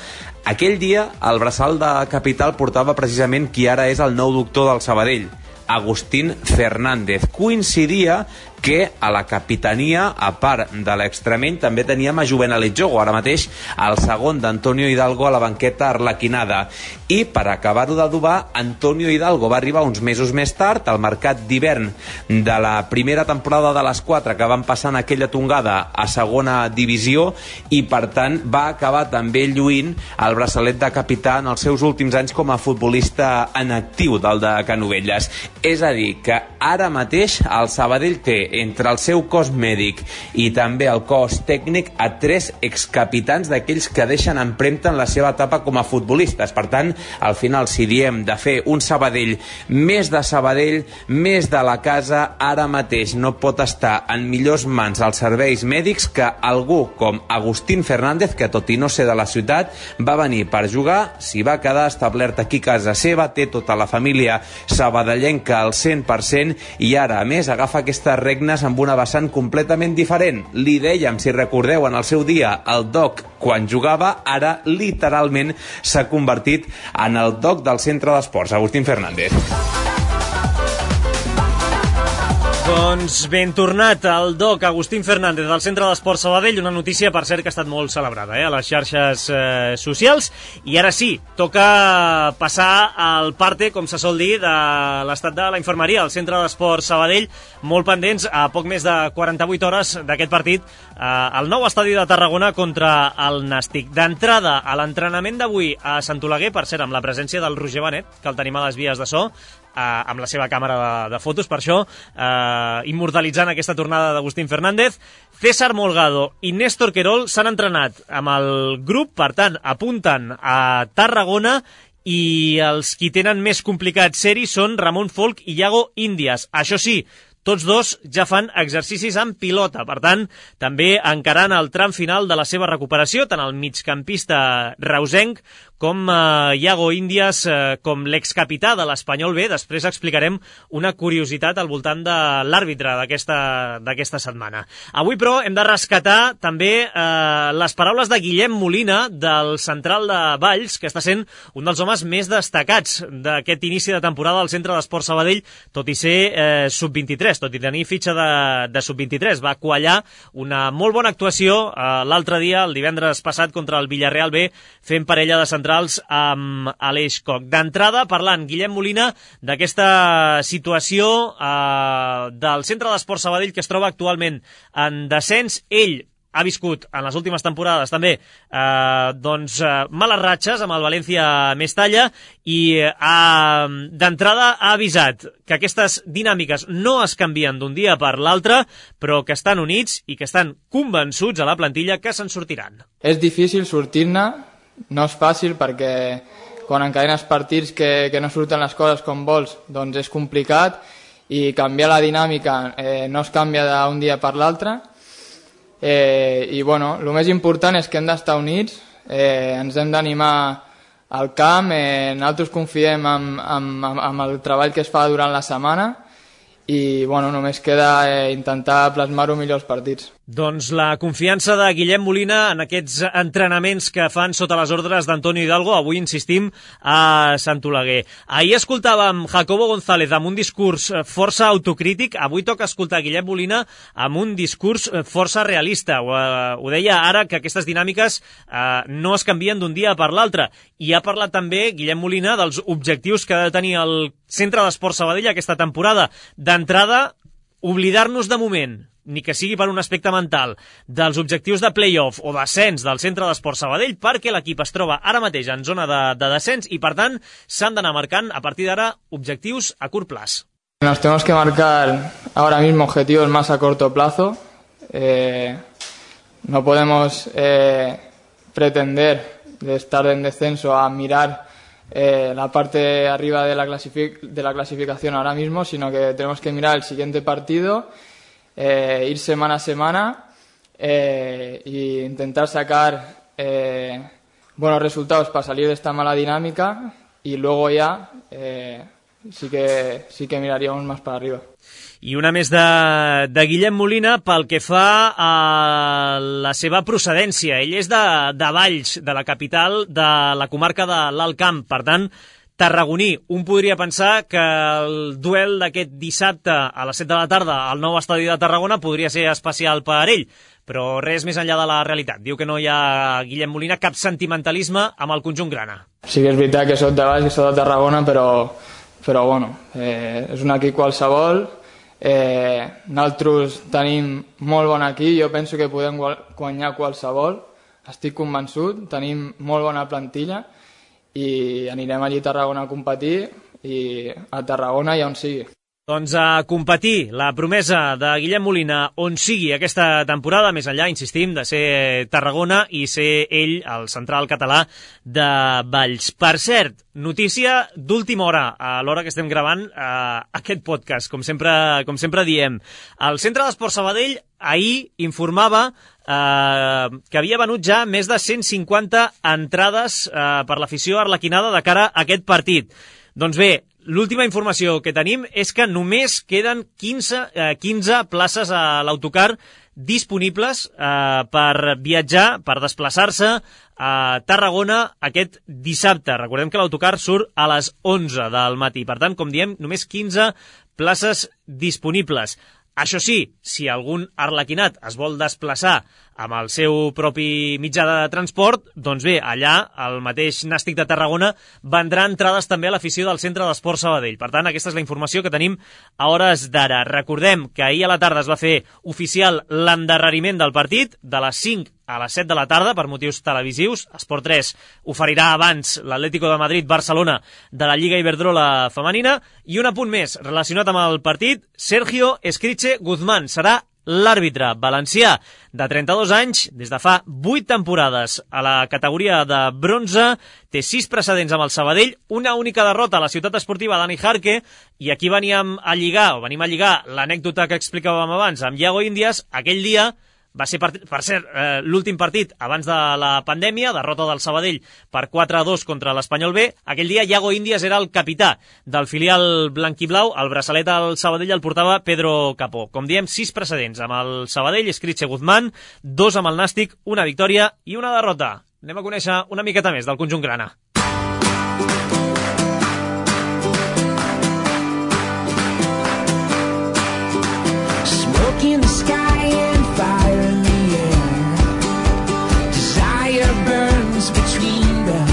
Aquell dia, el braçal de capital portava precisament qui ara és el nou doctor del Sabadell, Agustín Fernández. Coincidia que a la capitania, a part de l'extremeny, també teníem a Juvenal Jogo, ara mateix el segon d'Antonio Hidalgo a la banqueta arlequinada. I per acabar-ho d'adobar, Antonio Hidalgo va arribar uns mesos més tard, al mercat d'hivern de la primera temporada de les quatre que van passar en aquella tongada a segona divisió, i per tant va acabar també lluint el braçalet de capità en els seus últims anys com a futbolista en actiu del de Canovelles. És a dir, que ara mateix el Sabadell té entre el seu cos mèdic i també el cos tècnic a tres excapitans d'aquells que deixen empremta en la seva etapa com a futbolistes. Per tant, al final, si diem de fer un Sabadell més de Sabadell, més de la casa, ara mateix no pot estar en millors mans als serveis mèdics que algú com Agustín Fernández, que tot i no ser de la ciutat, va venir per jugar, s'hi va quedar establert aquí a casa seva, té tota la família sabadellenca al cent per cent i ara, a més, agafa aquestes regnes amb una vessant completament diferent. Li dèiem, si recordeu, en el seu dia, el doc quan jugava, ara literalment s'ha convertit en el doc del centre d'esports, Agustín Fernández. Doncs ben tornat el doc Agustín Fernández del Centre d'Esports Sabadell, una notícia, per cert, que ha estat molt celebrada eh, a les xarxes eh, socials. I ara sí, toca passar al parte, com se sol dir, de l'estat de la infermeria al Centre d'Esports Sabadell, molt pendents a poc més de quaranta-vuit hores d'aquest partit eh, al nou estadi de Tarragona contra el Nàstic. D'entrada, a l'entrenament d'avui a Sant Oleguer, per cert, amb la presència del Roger Benet, que el tenim a les vies de so, eh, amb la seva càmera de, de fotos, per això, eh, immortalitzant aquesta tornada d'Agustín Fernández. César Molgado i Néstor Querol s'han entrenat amb el grup, per tant, apunten a Tarragona, i els qui tenen més complicat ser-hi són Ramon Folk i Iago Índias. Això sí, tots dos ja fan exercicis amb pilota, per tant, també encarant el tram final de la seva recuperació, tant el migcampista reusenc com eh, Iago Índias, eh, com l'excapità de l'Espanyol B. Després explicarem una curiositat al voltant de l'àrbitre d'aquesta setmana. Avui, però, hem de rescatar també eh, les paraules de Guillem Molina, del central de Valls, que està sent un dels homes més destacats d'aquest inici de temporada al Centre d'Esports Sabadell, tot i ser eh, sub vint-i-tres, tot i tenir fitxa de, de sub vint-i-tres. Va quallar una molt bona actuació eh, l'altre dia, el divendres passat, contra el Villarreal B, fent parella de central amb Aleix Koch. D'entrada, parlant Guillem Molina d'aquesta situació eh, del Centre d'Esports Sabadell, que es troba actualment en descens. Ell ha viscut en les últimes temporades també eh, doncs, eh, males ratxes amb el València Mestalla, i eh, d'entrada ha avisat que aquestes dinàmiques no es canvien d'un dia per l'altre, però que estan units i que estan convençuts a la plantilla que se'n sortiran. És difícil sortir-ne, no és fàcil, perquè quan encadenes partits que, que no surten les coses com vols, doncs és complicat, i canviar la dinàmica eh, no es canvia d'un dia per l'altre. Eh, i bueno, el més important és que hem d'estar units, eh, ens hem d'animar al camp, eh, nosaltres confiem en, en, en el treball que es fa durant la setmana, i bueno, només queda eh, intentar plasmar-ho millor els partits. Doncs la confiança de Guillem Molina en aquests entrenaments que fan sota les ordres d'Antonio Hidalgo, avui insistim a Sant Oleguer. Ahir escoltàvem Jacobo González amb un discurs força autocrític, avui toca escoltar Guillem Molina amb un discurs força realista. Ho, ho deia ara, que aquestes dinàmiques eh, no es canvien d'un dia per l'altre, i ha parlat també Guillem Molina dels objectius que ha de tenir el Centre d'Esports Sabadell aquesta temporada. D'entrada, oblidar-nos de moment, ni que sigui per un aspecte mental, dels objectius de play-off o d'ascens del Centre d'Esports Sabadell, perquè l'equip es troba ara mateix en zona de, de descens, i per tant s'han d'anar marcant a partir d'ara objectius a curt plaç. Nos tenemos que marcar ahora mismo objetivos más a corto plazo. Eh, no podemos eh, pretender de estar en descenso a mirar Eh, la parte arriba de la, clasific de la clasificación ahora mismo, sino que tenemos que mirar el siguiente partido, eh, ir semana a semana e eh, intentar sacar eh, buenos resultados para salir de esta mala dinámica y luego ya eh, sí que sí que miraríamos más para arriba. I una més de, de Guillem Molina pel que fa a la seva procedència. Ell és de, de Valls, de la capital de la comarca de l'Alt Camp. Per tant, tarragoní. Un podria pensar que el duel d'aquest dissabte a les set de la tarda al nou estadi de Tarragona podria ser especial per ell, però res més enllà de la realitat. Diu que no hi ha, Guillem Molina, cap sentimentalisme amb el conjunt grana. Sí que és veritat que soc de Valls, que soc de Tarragona, però, però bueno, eh, és un equip qualsevol. Eh, nosaltres tenim molt bon equip, jo penso que podem guanyar qualsevol, estic convençut, tenim molt bona plantilla i anirem allí a Tarragona a competir i a Tarragona i on sigui. Doncs a competir, la promesa de Guillem Molina on sigui aquesta temporada, més enllà, insistim, de ser Tarragona i ser ell el central català de Valls. Per cert, notícia d'última hora, a l'hora que estem gravant eh, aquest podcast, com sempre, com sempre diem. El Centre d'Esport Sabadell ahir informava eh, que havia venut ja més de cent cinquanta entrades eh, per l'afició arlequinada de cara a aquest partit. Doncs bé, l'última informació que tenim és que només queden quinze, eh, quinze places a l'autocar disponibles eh, per viatjar, per desplaçar-se a Tarragona aquest dissabte. Recordem que l'autocar surt a les onze del matí. Per tant, com diem, només quinze places disponibles. Això sí, si algun arlequinat es vol desplaçar amb el seu propi mitjà de transport, doncs bé, allà, el mateix Nàstic de Tarragona vendrà entrades també a l'afició del Centre d'Esport Sabadell. Per tant, aquesta és la informació que tenim a hores d'ara. Recordem que ahir a la tarda es va fer oficial l'endarreriment del partit, de les cinc a les set de la tarda, per motius televisius. Esport tres oferirà abans l'Atlético de Madrid-Barcelona de la Lliga Iberdrola femenina. I un apunt més relacionat amb el partit, Sergio Escriche Guzmán serà l'àrbitre valencià de trenta-dos anys, des de fa vuit temporades a la categoria de bronze, té sis precedents amb el Sabadell, una única derrota a la ciutat esportiva Dani Jarque, i aquí veníem a lligar, o venim a lligar l'anècdota que explicàvem abans amb Iago Índias. Aquell dia va ser, per, per ser eh, l'últim partit abans de la pandèmia, derrota del Sabadell per quatre a dos contra l'Espanyol B. Aquell dia Iago Índias era el capità del filial blanquiblau, el braçalet al Sabadell el portava Pedro Capó. Com diem, sis precedents amb el Sabadell, Escriche Guzmán, dos amb el Nàstic, una victòria i una derrota. Anem a conèixer una miqueta més del conjunt grana. Smoke in the sky and fire in the air. Desire burns between them.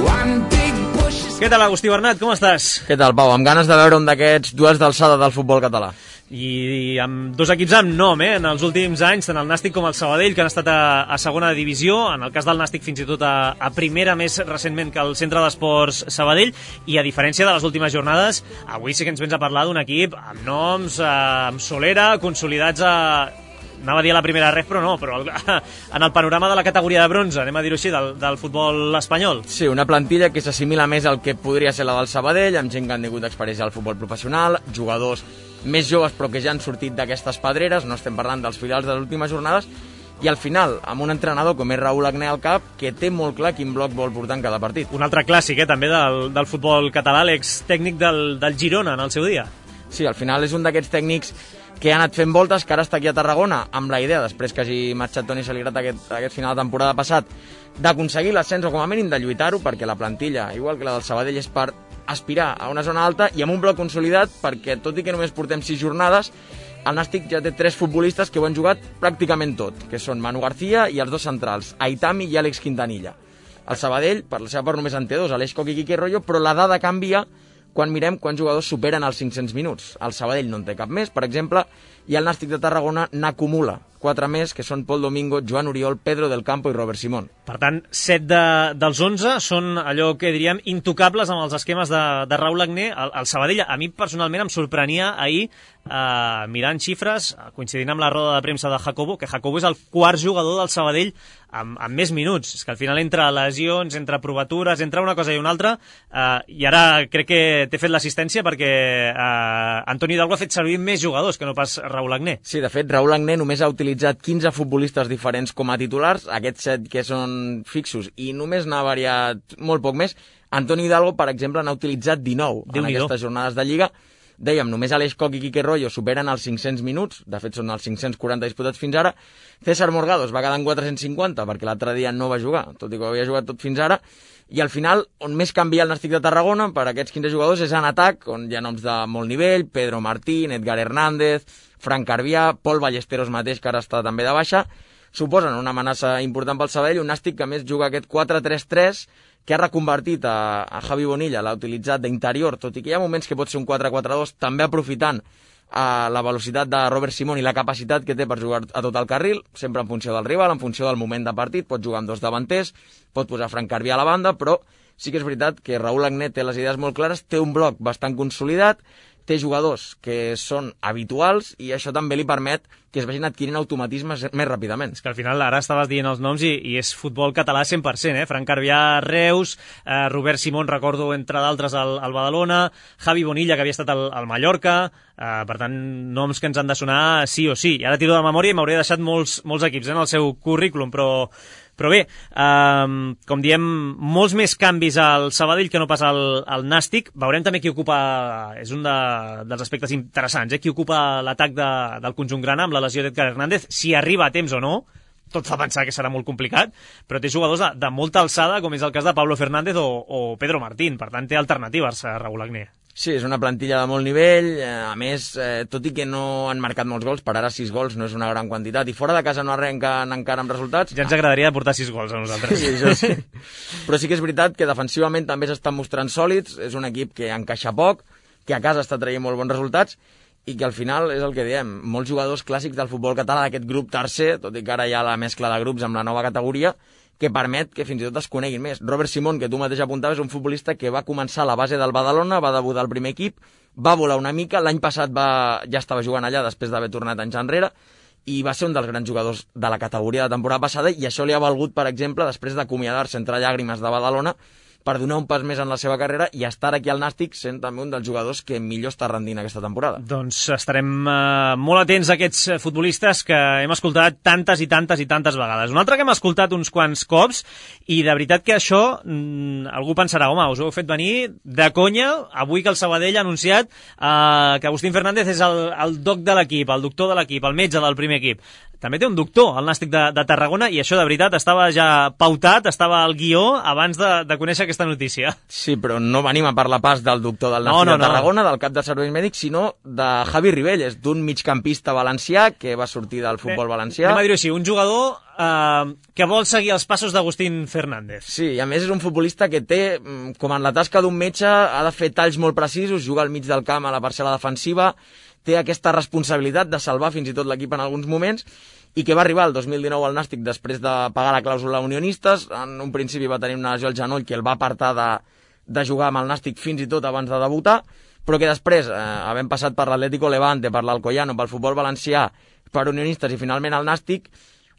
One big bush is... Què tal, Agustí Bernat? Com estàs? Què tal, Pau? Amb ganes de veure un d'aquests duels d'alçada del futbol català. I, i amb dos equips amb nom, eh? En els últims anys, tant el Nàstic com el Sabadell, que han estat a, a segona divisió, en el cas del Nàstic fins i tot a, a primera, més recentment que el Centre d'Esports Sabadell, i a diferència de les últimes jornades, avui sí que ens vens a parlar d'un equip amb noms, eh, amb solera, consolidats a... Anava a dir a la primera ref, però no, però en el panorama de la categoria de bronze, anem a dir-ho així, del, del futbol espanyol. Sí, una plantilla que s'assimila més al que podria ser la del Sabadell, amb gent que han tingut experiència al futbol professional, jugadors més joves però que ja han sortit d'aquestes pedreres, no estem parlant dels filials de les últimes jornades, i al final, amb un entrenador com és Raúl Agné al cap, que té molt clar quin bloc vol portar en cada partit. Un altre clàssic, eh, també del, del futbol català, l'ex-tècnic del, del Girona en el seu dia. Sí, al final és un d'aquests tècnics que ha anat fent voltes, que ara està aquí a Tarragona, amb la idea, després que hagi marxat Toni Saligrat aquest, aquest final de temporada passat, d'aconseguir l'ascens o com a mínim de lluitar-ho, perquè la plantilla, igual que la del Sabadell, és per aspirar a una zona alta i amb un bloc consolidat, perquè tot i que només portem sis jornades, el Nàstic ja té tres futbolistes que ho han jugat pràcticament tot, que són Manu García i els dos centrals, Aitami i Àlex Quintanilla. El Sabadell, per la seva part, només en té dos, Aleix Coc i Quique Rollo, però la dada canvia quan mirem quants jugadors superen els cinc-cents minuts. El Sabadell no en té cap més, per exemple, i el Nàstic de Tarragona n'acumula quatre més, que són Pol Domingo, Joan Oriol, Pedro del Campo i Robert Simón. Per tant, set de, dels onze són allò que diríem intocables amb els esquemes de, de Raúl Agné. El, el Sabadell, a mi personalment em sorprenia ahir, eh, mirant xifres, coincidint amb la roda de premsa de Jacobo, que Jacobo és el quart jugador del Sabadell amb, amb més minuts. És que al final entre lesions, entre provatures, entre una cosa i una altra, eh, i ara crec que t'he fet l'assistència perquè eh, Antoni Hidalgo ha fet servir més jugadors que no pas Raúl Agné. Sí, de fet, Raúl Agné només ha utilitzat quinze futbolistes diferents com a titulars, aquests set que són fixos, i només n'ha variat molt poc més. Antoni Hidalgo, per exemple, n'ha utilitzat dinou en aquestes jornades de Lliga. Dèiem, només Aleix Coc i Quique Royo superen els cinc-cents minuts, de fet són els cinc-cents quaranta disputats fins ara. César Morgado es va quedar en quatre-cents cinquanta perquè l'altre dia no va jugar, tot i que ho havia jugat tot fins ara, i al final, on més canvia el Nàstic de Tarragona per aquests quinze jugadors és en atac, on hi ha noms de molt nivell, Pedro Martín, Edgar Hernández, Frank Carvià, Pol Ballesteros mateix, que ara està també de baixa, suposen una amenaça important pel Sabadell, un Nàstic que a més juga aquest quatre tres tres, que ha reconvertit a, a Javi Bonilla, l'ha utilitzat d'interior, tot i que hi ha moments que pot ser un quatre quatre dos, també aprofitant a la velocitat de Robert Simón i la capacitat que té per jugar a tot el carril, sempre en funció del rival, en funció del moment de partit, pot jugar amb dos davanters, pot posar Frank Carvià a la banda, però sí que és veritat que Raúl Agné té les idees molt clares, té un bloc bastant consolidat, té jugadors que són habituals i això també li permet que es vagin adquirint automatismes més ràpidament. És que al final ara estaves dient els noms i, i és futbol català cent per cent, eh? Frank Carvià, Reus, eh, Robert Simón, recordo, entre d'altres, al, al Badalona, Javi Bonilla, que havia estat al, al Mallorca, eh, per tant, noms que ens han de sonar sí o sí. I ara tiro de memòria i m'hauré deixat molts, molts equips eh, en el seu currículum, però... Però bé, eh, com diem, molts més canvis al Sabadell que no pas al, al Nàstic. Veurem també qui ocupa, és un de, dels aspectes interessants, eh? Qui ocupa l'atac de, del conjunt grana amb la lesió d'Edgar Hernández, si arriba a temps o no. Tot fa pensar que serà molt complicat, però té jugadors de, de molta alçada, com és el cas de Pablo Fernández o, o Pedro Martín. Per tant, té alternatives a Raúl Agné. Sí, és una plantilla de molt nivell, a més, eh, tot i que no han marcat molts gols, per ara sis gols no és una gran quantitat, i fora de casa no arrenquen encara amb resultats. Ja ens agradaria portar sis gols a nosaltres. Sí, això sí. Però sí que és veritat que defensivament també s'estan mostrant sòlids, és un equip que encaixa poc, que a casa està traient molt bons resultats, i que al final és el que diem, molts jugadors clàssics del futbol català d'aquest grup tercer, tot i que ara hi ha la mescla de grups amb la nova categoria, que permet que fins i tot es coneguin més. Robert Simón, que tu mateix apuntaves, és un futbolista que va començar a la base del Badalona, va debutar al primer equip, va volar una mica, l'any passat va, ja estava jugant allà després d'haver tornat anys enrere, i va ser un dels grans jugadors de la categoria de la temporada passada, i això li ha valgut, per exemple, després d'acomiadar-se entre llàgrimes de Badalona, per donar un pas més en la seva carrera i estar aquí al Nàstic sent també un dels jugadors que millor està rendint aquesta temporada. Doncs estarem eh, molt atents a aquests futbolistes que hem escoltat tantes i tantes i tantes vegades. Un altre que hem escoltat uns quants cops i de veritat que això mm, algú pensarà, home, us ho heu fet venir de conya avui que el Sabadell ha anunciat eh, que Agustín Fernández és el, el doc de l'equip, el doctor de l'equip, el metge del primer equip. També té un doctor, el Nàstic de, de Tarragona, i això de veritat estava ja pautat, estava al guió abans de, de conèixer aquesta notícia. Sí, però no venim a parlar pas del doctor del Nàstic no, no, de Tarragona, no. Del cap dels serveis mèdics, sinó de Javi Ribelles, d'un migcampista valencià que va sortir del futbol Bé, valencià. Anem a dir-ho així, un jugador eh, que vol seguir els passos d'Agustín Fernández. Sí, i a més és un futbolista que té, com en la tasca d'un metge, ha de fer talls molt precisos, juga al mig del camp a la parcel·la defensiva, té aquesta responsabilitat de salvar fins i tot l'equip en alguns moments, i que va arribar el dos mil dinou al Nàstic després de pagar la clàusula Unionistes. En un principi va tenir una lesió al genoll que el va apartar de, de jugar amb el Nàstic fins i tot abans de debutar, però que després, eh, havent passat per l'Atlético Levante, per l'Alcoyano, pel futbol valencià, per Unionistes i finalment al Nàstic,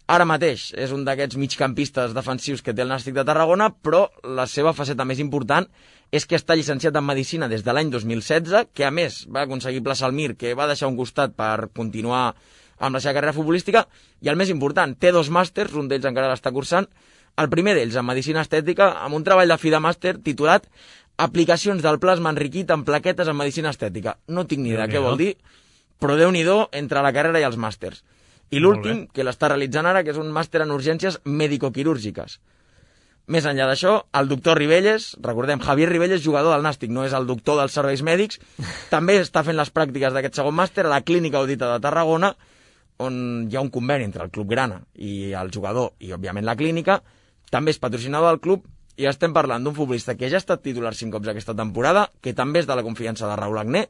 ara mateix és un d'aquests migcampistes defensius que té el Nàstic de Tarragona, però la seva faceta més important és que està llicenciat en Medicina des de l'any dos mil setze, que a més va aconseguir plaça al Mir, que va deixar un costat per continuar amb la seva carrera futbolística, i el més important, té dos màsters, un d'ells encara l'està cursant, el primer d'ells en Medicina Estètica, amb un treball de fi de màster titulat Aplicacions del plasma enriquit en plaquetes en Medicina Estètica. No tinc ni idea què vol dir, però Déu-n'hi-do entre la carrera i els màsters. I l'últim, que l'està realitzant ara, que és un màster en urgències medicoquirúrgiques. Més enllà d'això, el doctor Ribelles, recordem, Javier Ribelles, jugador del Nàstic, no és el doctor dels serveis mèdics, també està fent les pràctiques d'aquest segon màster a la Clínica Audita de Tarragona, on hi ha un conveni entre el Club Grana i el jugador i, òbviament, la clínica. També és patrocinador del club i estem parlant d'un futbolista que ja ha estat titular cinc cops aquesta temporada, que també és de la confiança de Raúl Agné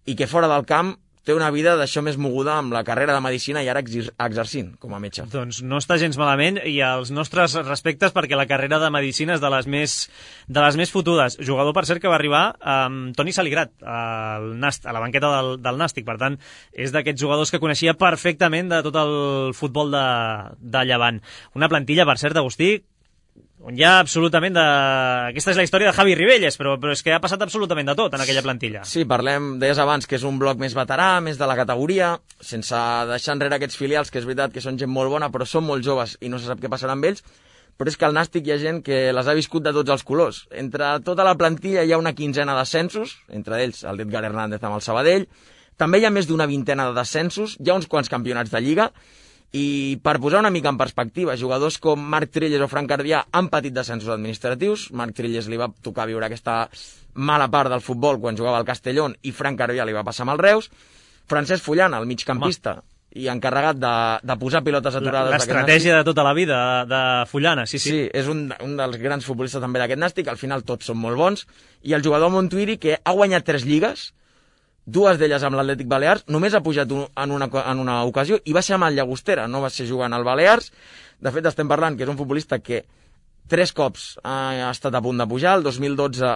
i que fora del camp té una vida d'això més moguda amb la carrera de medicina i ara exercint com a metge. Doncs no està gens malament i els nostres respectes perquè la carrera de medicina és de les més, de les més fotudes. Jugador, per cert, que va arribar amb Toni Saligrat al Nast, a la banqueta del, del Nàstic. Per tant, és d'aquests jugadors que coneixia perfectament de tot el futbol de, de Llevant. Una plantilla, per cert, Agustí, on hi ha absolutament de... Aquesta és la història de Javi Ribelles, però, però és que ha passat absolutament de tot en aquella plantilla. Sí, parlem, deies abans, que és un bloc més veterà, més de la categoria, sense deixar enrere aquests filials, que és veritat que són gent molt bona, però són molt joves i no se sap què passarà amb ells, però és que al Nàstic hi ha gent que les ha viscut de tots els colors. Entre tota la plantilla hi ha una quinzena d'ascensos, entre ells el d'Edgar Hernández amb el Sabadell, també hi ha més d'una vintena de descensos, hi ha uns quants campionats de Lliga, i per posar una mica en perspectiva, jugadors com Marc Trilles o Fran Cardià han patit descensos administratius. Marc Trilles li va tocar viure aquesta mala part del futbol quan jugava al Castellón i Fran Cardià li va passar amb els Reus. Francesc Fullana, el migcampista, Home. i encarregat de, de posar pilotes aturades... L'estratègia de tota la vida de, de Fullana, sí, sí. Sí, és un, un dels grans futbolistes també d'aquest Nàstic, al final tots són molt bons, i el jugador Montuiri, que ha guanyat tres lligues, dues d'elles amb l'Atlètic Balears, només ha pujat un, en, una, en una ocasió i va ser amb el Llagostera, no va ser jugant al Balears. De fet, estem parlant que és un futbolista que tres cops ha, ha estat a punt de pujar. El dos mil dotze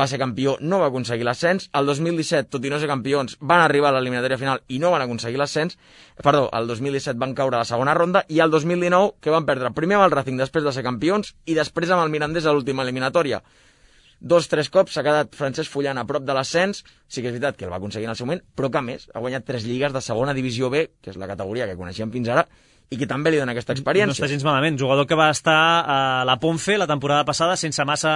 va ser campió, no va aconseguir l'ascens. El dos mil disset, tot i no ser campions, van arribar a l'eliminatòria final i no van aconseguir l'ascens. Perdó, el dos mil disset van caure a la segona ronda i el dos mil dinou, que van perdre primer amb el Racing després de ser campions i després amb el Mirandés a l'última eliminatòria. Dos, tres cops s'ha quedat Francesc Fullana a prop de l'ascens, sí que és veritat que el va aconseguir en el seu moment, però que a més ha guanyat tres lligues de segona divisió B, que és la categoria que coneixíem fins ara, i que també li dona aquesta experiència. No està gens malament, jugador que va estar a la Ponfe la temporada passada sense massa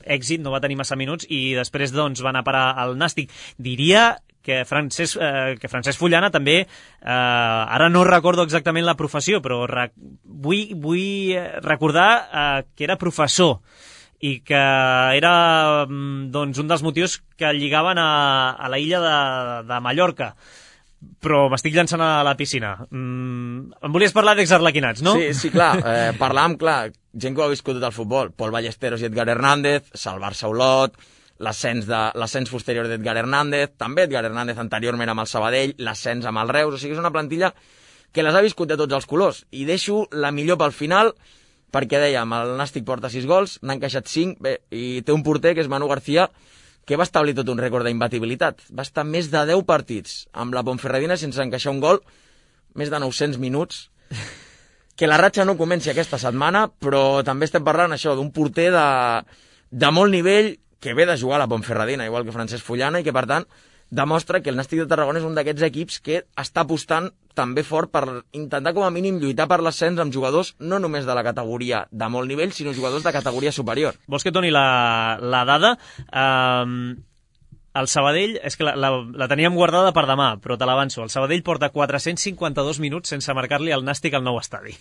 èxit, no va tenir massa minuts, i després doncs va anar a parar al Nàstic. Diria que Francesc, eh, que Francesc Fullana també, eh, ara no recordo exactament la professió, però re, vull, vull recordar eh, que era professor, i que era doncs, un dels motius que el lligaven a, a la illa de, de Mallorca. Però m'estic llançant a la piscina. Mm, em volies parlar d'exarlequinats, no? Sí, sí, clar. Eh, parlàvem, clar, gent que ho ha viscut tot el futbol. Pol Ballesteros i Edgar Hernández, Salvar-se Olot, l'ascens de l'ascens posterior d'Edgar Hernández, també Edgar Hernández anteriorment amb el Sabadell, l'ascens amb el Reus, o sigui, és una plantilla que les ha viscut de tots els colors. I deixo la millor pel final, perquè dèiem, el Nàstic porta sis gols, n'ha encaixat cinc, bé, i té un porter que és Manu García, que va establir tot un rècord d'imbatibilitat. Va estar més de deu partits amb la Ponferradina sense encaixar un gol, més de nou-cents minuts. Que la ratxa no comenci aquesta setmana, però també estem parlant això d'un porter de, de molt nivell que ve de jugar a la Ponferradina, igual que Francesc Fullana, i que, per tant, demostra que el Nàstic de Tarragona és un d'aquests equips que està apostant també fort per intentar com a mínim lluitar per l'ascens amb jugadors no només de la categoria de molt nivell, sinó jugadors de categoria superior. Vols que et doni la, la dada? Um, el Sabadell, és que la, la, la teníem guardada per demà, però te l'avanço. El Sabadell porta quatre-cents cinquanta-dos minuts sense marcar-li al Nàstic al nou estadi.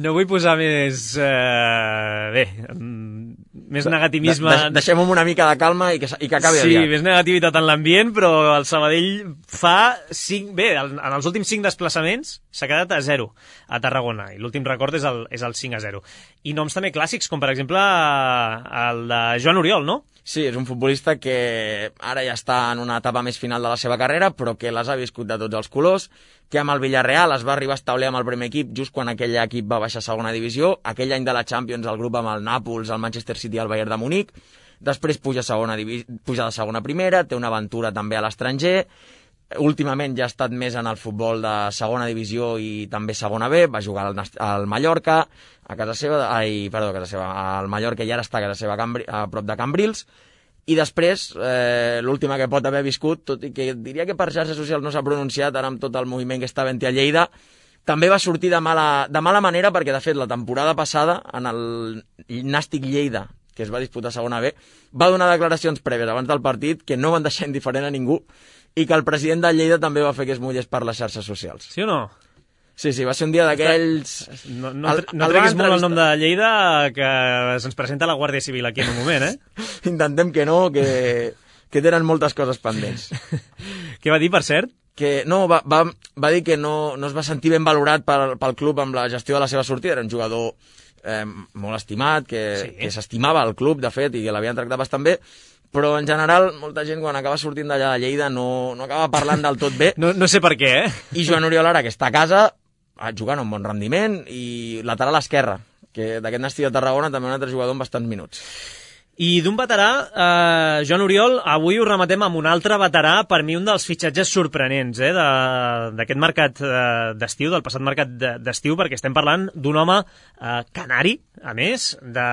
No vull posar més... Uh, bé... Um, més negativisme... De, de, deixem una mica de calma i que, i que acabi sí, aviat. Sí, més negativitat en l'ambient, però el Sabadell fa cinc... Bé, en els últims cinc desplaçaments s'ha quedat a zero a Tarragona, i l'últim record és el, és el cinc a zero. I noms també clàssics, com per exemple el de Joan Oriol, no? Sí, és un futbolista que ara ja està en una etapa més final de la seva carrera, però que les ha viscut de tots els colors, que amb el Villarreal es va arribar a establir amb el primer equip just quan aquell equip va baixar a segona divisió, aquell any de la Champions el grup amb el Nàpols, el Manchester City i el Bayern de Munic, després puja, segona puja de segona a primera, té una aventura també a l'estranger, últimament ja ha estat més en el futbol de segona divisió i també segona B, va jugar al, al Mallorca, a casa seva, ai, perdó, a casa seva, al Mallorca i ara està a casa seva a prop de Cambrils, i després, eh, l'última que pot haver viscut, tot i que diria que per xarxes socials no s'ha pronunciat, ara amb tot el moviment que està havent-hi a Lleida, també va sortir de mala, de mala manera perquè, de fet, la temporada passada, en el Nàstic Lleida, que es va disputar a segona B, va donar declaracions prèvies abans del partit que no van deixar indiferent a ningú i que el president de Lleida també va fer que es mullés per les xarxes socials. Sí o no? Sí, sí, va ser un dia d'aquells... No, no, el, no treguis molt el nom de Lleida, que se'ns presenta la Guàrdia Civil aquí en un moment, eh? Intentem que no, que, que tenen moltes coses pendents. Què va dir, per cert? Que no, va, va, va dir que no, no es va sentir ben valorat pel, pel club amb la gestió de la seva sortida. Era un jugador eh, molt estimat, que, sí. que s'estimava al club, de fet, i que l'havien tractat bastant bé, però en general molta gent quan acaba sortint d'allà de Lleida no, no acaba parlant del tot bé. No, no sé per què, eh? I Joan Oriol ara, que està a casa, jugant amb bon rendiment, i lateral esquerra, que d'aquest Nàstic de Tarragona també un altre jugador amb bastants minuts. I d'un veterà, eh, Joan Oriol, avui ho rematem amb un altre veterà, per mi un dels fitxatges sorprenents eh, d'aquest mercat eh, d'estiu, del passat mercat d'estiu, perquè estem parlant d'un home eh, canari, a més, de,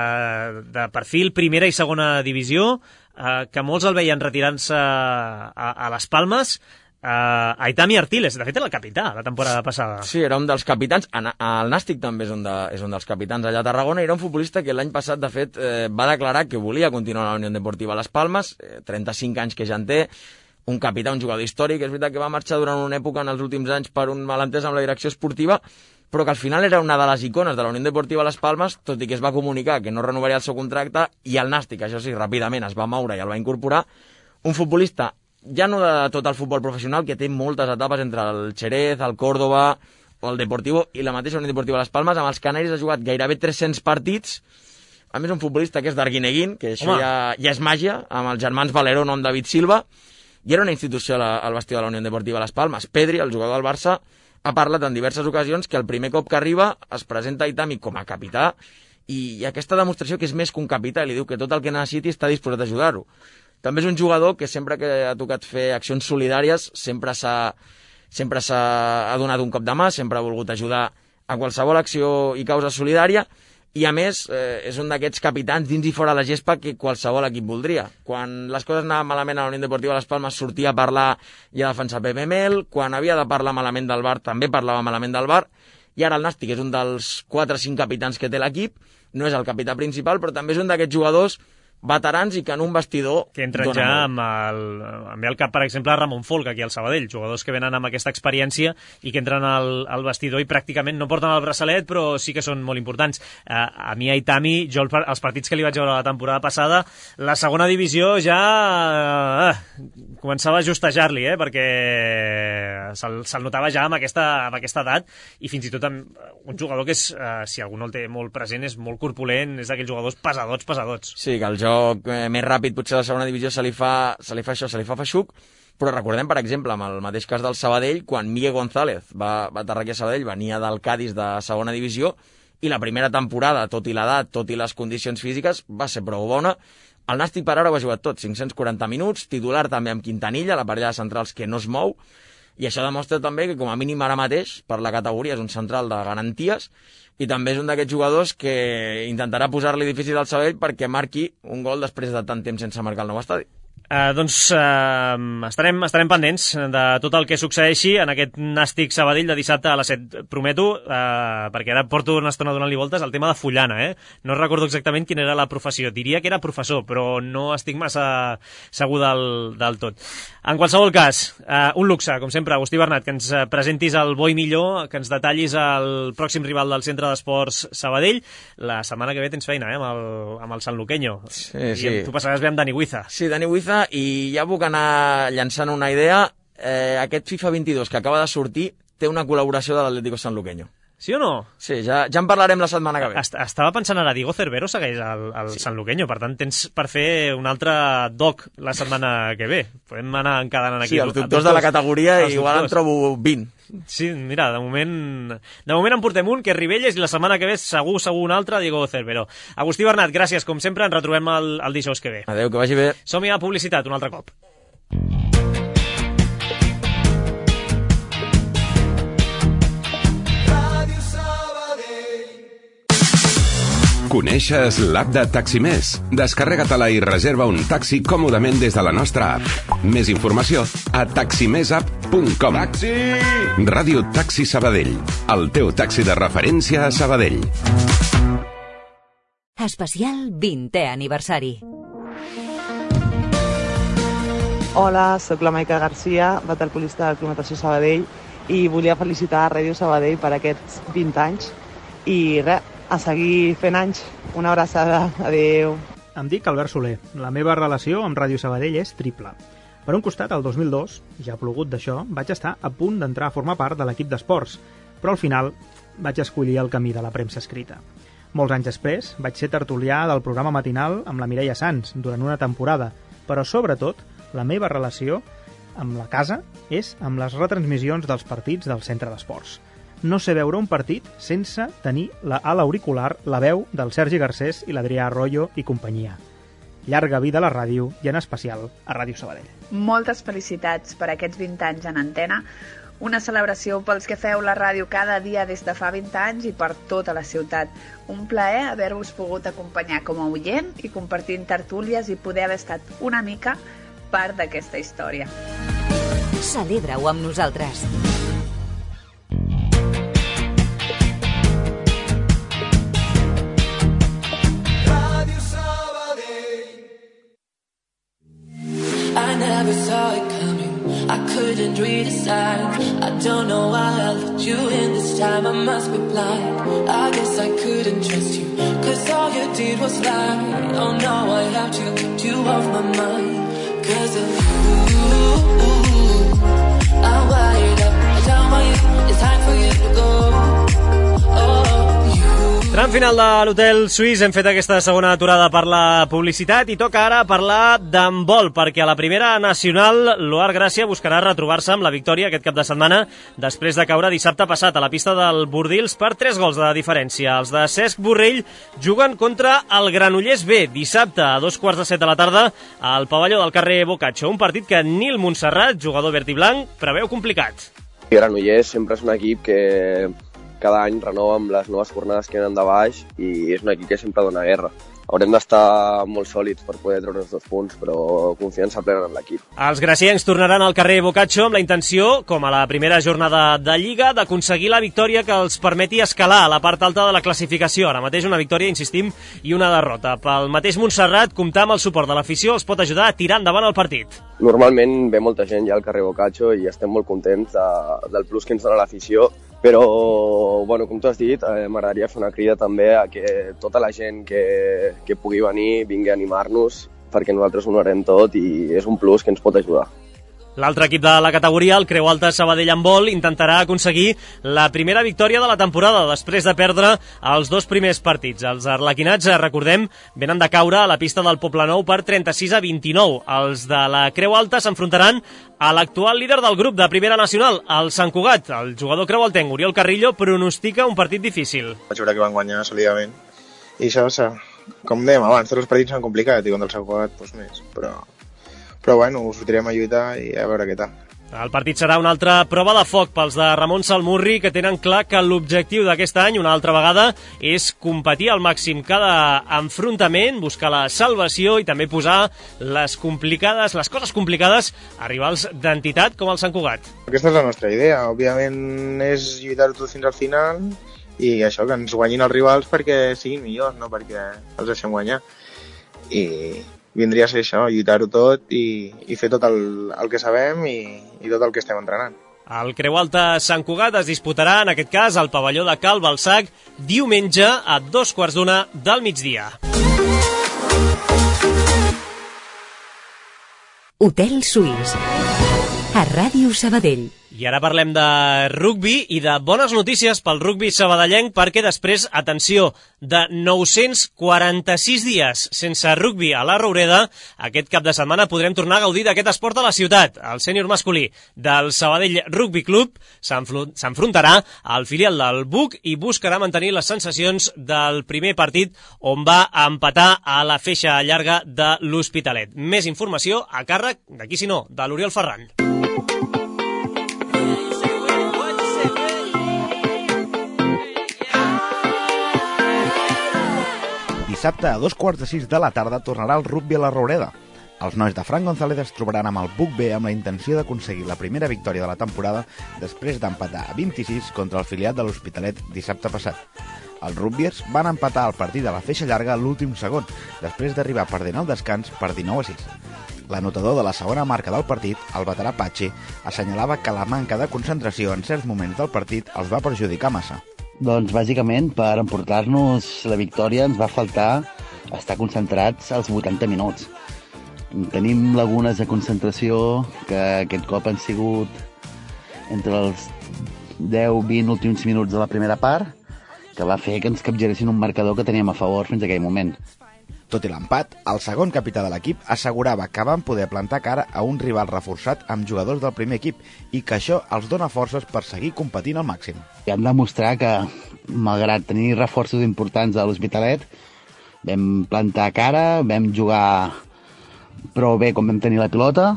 de perfil primera i segona divisió, eh, que molts el veien retirant-se a, a les Palmes. Uh, Aitami Artiles, de fet era el capità la temporada passada. Sí, era un dels capitans, el Nàstic també és un, de, és un dels capitans allà a Tarragona, i era un futbolista que l'any passat de fet eh, va declarar que volia continuar a la Unió Deportiva Las Palmes, eh, trenta-cinc anys que ja en té, un capità, un jugador històric, és veritat que va marxar durant una època en els últims anys per un malentès amb la direcció esportiva, però que al final era una de les icones de la Unió Deportiva Las Palmes, tot i que es va comunicar que no renovaria el seu contracte, i el Nàstic, això sí, ràpidament es va moure i el va incorporar, un futbolista ja no de tot el futbol professional, que té moltes etapes entre el Xerez, el Córdoba o el Deportivo i la mateixa Unió Deportiva Las Palmes. Amb els canaris ha jugat gairebé tres-cents partits. A més, un futbolista que és d'Arguineguín, que això ja, ja és màgia, amb els germans Valeró, nom David Silva, i era una institució al vestidor de la Unió Deportiva Las Palmes. Pedri, el jugador del Barça, ha parlat en diverses ocasions que el primer cop que arriba es presenta a Aitami com a capità, i aquesta demostració que és més que un capità, li diu que tot el que necessiti està disposat a ajudar-ho. També és un jugador que sempre que ha tocat fer accions solidàries sempre s'ha sempre s'ha donat un cop de mà, sempre ha volgut ajudar a qualsevol acció i causa solidària, i a més eh, és un d'aquests capitans dins i fora la gespa que qualsevol equip voldria. Quan les coses anaven malament a la Unió Deportiva Las Palmes sortia a parlar i a defensar Pepe Mel, quan havia de parlar malament del Bar també parlava malament del Bar, i ara el Nàstic és un dels quatre o cinc capitans que té l'equip, no és el capità principal, però també és un d'aquests jugadors veterans i que en un vestidor que entren ja amb el, amb el cap, per exemple, Ramon Folk aquí al Sabadell, jugadors que venen amb aquesta experiència i que entren al, al vestidor i pràcticament no porten el braçalet, però sí que són molt importants. Uh, a mi Aitami, jo els partits que li vaig veure la temporada passada, la segona divisió ja uh, començava a justejar-li, eh, perquè se'l se notava ja amb aquesta, amb aquesta edat, i fins i tot amb un jugador que és, uh, si algú no el té molt present, és molt corpulent, és d'aquells jugadors pesadots, pesadots. Sí, que el joc eh, més ràpid potser a la segona divisió se li fa, se li fa això, se li fa feixuc, però recordem, per exemple, amb el mateix cas del Sabadell, quan Miguel González va, va aterrar aquí a Sabadell, venia del Cádiz de segona divisió, i la primera temporada, tot i l'edat, tot i les condicions físiques, va ser prou bona. El Nàstic per ara ho ha jugat tot, cinc-cents quaranta minuts, titular també amb Quintanilla, la parella de centrals que no es mou, i això demostra també que com a mínim ara mateix, per la categoria, és un central de garanties, i també és un d'aquests jugadors que intentarà posar-li difícil al Sabadell perquè marqui un gol després de tant temps sense marcar el nou estadi. Uh, doncs uh, estarem, estarem pendents de tot el que succeeixi en aquest Nàstic Sabadell de dissabte a les set, prometo, uh, perquè ara porto una estona donant-li voltes al tema de Fullana, eh? No recordo exactament quina era la professió, diria que era professor, però no estic massa segur del, del tot. En qualsevol cas, uh, un luxe, com sempre, Agustí Bernat, que ens presentis el bo i millor, que ens detallis el pròxim rival del Centre d'Esports Sabadell. La setmana que ve tens feina, eh, amb el, amb el San Luqueño. Sí, sí. I tu passaràs bé amb Dani Huiza. Sí, Dani Huiza, i ja puc anar llançant una idea. Eh, aquest FIFA vint-i-dos que acaba de sortir té una col·laboració de l'Atlético Sanluqueño. Sí o no? Sí, ja, ja en parlarem la setmana que ve. Est Estava pensant ara, Diego Cervero segueix al, al sí. Sanluqueño, per tant tens per fer un altre doc la setmana que ve. Podem anar encadenant aquí. Sí, els doctors de la categoria, igual en trobo vint. Sí, mira, de moment de moment en portem un, que és Ribelles, i la setmana que ve segur, segur un altre, Diego Cervero. Agustí Bernat, gràcies, com sempre, ens retrobem el, el dijous que ve. Adéu, que vagi bé. Som-hi a publicitat un altre cop. Coneixes l'app de Taximés? Descarrega-te-la i reserva un taxi còmodament des de la nostra app. Més informació a taximessapp punt com. Taxi! Ràdio Taxi Sabadell, el teu taxi de referència a Sabadell. Especial vintè aniversari. Hola, sóc la Maica Garcia, waterpolista del Club Natació Sabadell, i volia felicitar a Ràdio Sabadell per aquests vint anys. I res, a seguir fent anys. Una abraçada. Adéu. Em dic Albert Soler. La meva relació amb Ràdio Sabadell és triple. Per un costat, el dos mil dos, ja plogut d'això, vaig estar a punt d'entrar a formar part de l'equip d'esports, però al final vaig escollir el camí de la premsa escrita. Molts anys després, vaig ser tertulià del programa matinal amb la Mireia Sans durant una temporada, però sobretot la meva relació amb la casa és amb les retransmissions dels partits del centre d'esports. No sé veure un partit sense tenir la, a l'auricular la veu del Sergi Garcés i l'Adrià Arroyo i companyia. Llarga vida a la ràdio i en especial a Ràdio Sabadell. Moltes felicitats per aquests vint anys en antena, una celebració pels que feu la ràdio cada dia des de fa vint anys i per tota la ciutat. Un plaer haver-vos pogut acompanyar com a oient i compartint tertúlies i poder haver estat una mica part d'aquesta història. Celebra-ho amb nosaltres. I never saw it coming, I couldn't read a sign. I don't know why I let you in this time, I must be blind. I guess I couldn't trust you, cause all you did was lie. Oh no, I have to keep you off my mind, cause of you. I'm wired up, I don't want you, it's time for you to go. Oh, you. Tram final de l'Hotel Suís, hem fet aquesta segona aturada per la publicitat i toca ara parlar d'handbol, perquè a la primera nacional l'Oar Gràcia buscarà retrobar-se amb la victòria aquest cap de setmana després de caure dissabte passat a la pista del Bordils per tres gols de diferència. Els de Cesc Borrell juguen contra el Granollers B dissabte a dos quarts de set de la tarda al pavelló del carrer Boccaccio, un partit que Nil Montserrat, jugador verd i blanc, preveu complicat. Granollers sempre és un equip que cada any renova amb les noves jornades que venen de baix i és un equip que sempre dona guerra. Haurem d'estar molt sòlids per poder treure els dos punts, però confiança plena en l'equip. Els graciencs tornaran al carrer Boccaccio amb la intenció, com a la primera jornada de Lliga, d'aconseguir la victòria que els permeti escalar a la part alta de la classificació. Ara mateix una victòria, insistim, i una derrota. Pel mateix Montserrat, comptar amb el suport de l'afició els pot ajudar a tirar endavant el partit. Normalment ve molta gent ja al carrer Boccaccio i estem molt contents de, del plus que ens dona l'afició, però, bueno, com tu has dit, eh, m'agradaria fer una crida també a que tota la gent que, que pugui venir vingui a animar-nos, perquè nosaltres ho donarem tot i és un plus que ens pot ajudar. L'altre equip de la categoria, el Creu Alta Sabadell Handbol, intentarà aconseguir la primera victòria de la temporada després de perdre els dos primers partits. Els arlequinats, recordem, venen de caure a la pista del Poblenou per trenta-sis a vint-i-nou. Els de la Creu Alta s'enfrontaran a l'actual líder del grup de Primera Nacional, el Sant Cugat. El jugador creualtenc, Oriol Carrillo, pronostica un partit difícil. Vaig veure que van guanyar solidament. I això, com dèiem abans, tots els partits són complicats i contra el Sant Cugat doncs més, però... Però bueno, ho sortirem a lluitar i a veure què tal. El partit serà una altra prova de foc pels de Ramon Salmurri, que tenen clar que l'objectiu d'aquest any, una altra vegada, és competir al màxim cada enfrontament, buscar la salvació i també posar les complicades, les coses complicades a rivals d'entitat com el Sant Cugat. Aquesta és la nostra idea. Òbviament és lluitar tot fins al final i això, que ens guanyin els rivals perquè siguin millors, no perquè els deixem guanyar. I vindria a ser això, lluitar-ho tot i, i fer tot el, el que sabem i, i tot el que estem entrenant. El Creu Alta Sant Cugat es disputarà, en aquest cas, al pavelló de Cal Balsac, diumenge a dos quarts d'una del migdia. Hotel Suís, a Ràdio Sabadell. I ara parlem de rugbi i de bones notícies pel rugbi sabadellenc, perquè després, atenció, de nou-cents quaranta-sis dies sense rugbi a la Roureda, aquest cap de setmana podrem tornar a gaudir d'aquest esport a la ciutat. El sènior masculí del Sabadell Rugby Club s'enfrontarà al filial del B U C i buscarà mantenir les sensacions del primer partit on va empatar a la feixa llarga de l'Hospitalet. Més informació a càrrec, d'aquí si no, de l'Oriol Ferran. Dissabte a dos quarts de sis de la tarda tornarà el rugbi a la Roureda. Els nois de Fran González es trobaran amb el B U C B amb la intenció d'aconseguir la primera victòria de la temporada després d'empatar a vint-i-sis contra el filiat de l'Hospitalet dissabte passat. Els rugbiers van empatar el partit a la feixa llarga a l'últim segon, després d'arribar perdent el descans per dinou a sis. L'anotador de la segona marca del partit, el veterà Patxi, assenyalava que la manca de concentració en certs moments del partit els va perjudicar massa. Doncs bàsicament per emportar-nos la victòria ens va faltar estar concentrats als vuitanta minuts. Tenim lagunes de concentració que aquest cop han sigut entre els deu vint últims minuts de la primera part, que va fer que ens capgiressin un marcador que teníem a favor fins a aquell moment. Tot i l'empat, el segon capità de l'equip assegurava que van poder plantar cara a un rival reforçat amb jugadors del primer equip i que això els dona forces per seguir competint al màxim. I hem de demostrar que, malgrat tenir reforços importants a l'Hospitalet, vam plantar cara, vam jugar prou bé com vam tenir la pilota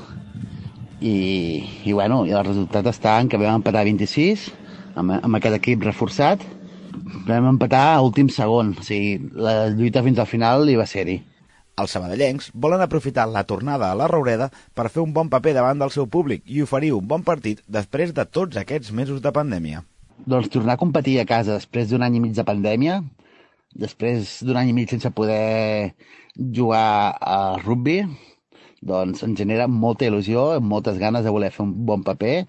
i, i, bueno, i el resultat està en que vam empatar vint-i-sis amb, amb aquest equip reforçat. Vam empatar a últim segon, o sigui, la lluita fins al final hi va ser-hi. Els sabadellencs volen aprofitar la tornada a la Roureda per fer un bon paper davant del seu públic i oferir un bon partit després de tots aquests mesos de pandèmia. Doncs tornar a competir a casa després d'un any i mig de pandèmia, després d'un any i mig sense poder jugar a rugby, doncs ens genera molta il·lusió, moltes ganes de voler fer un bon paper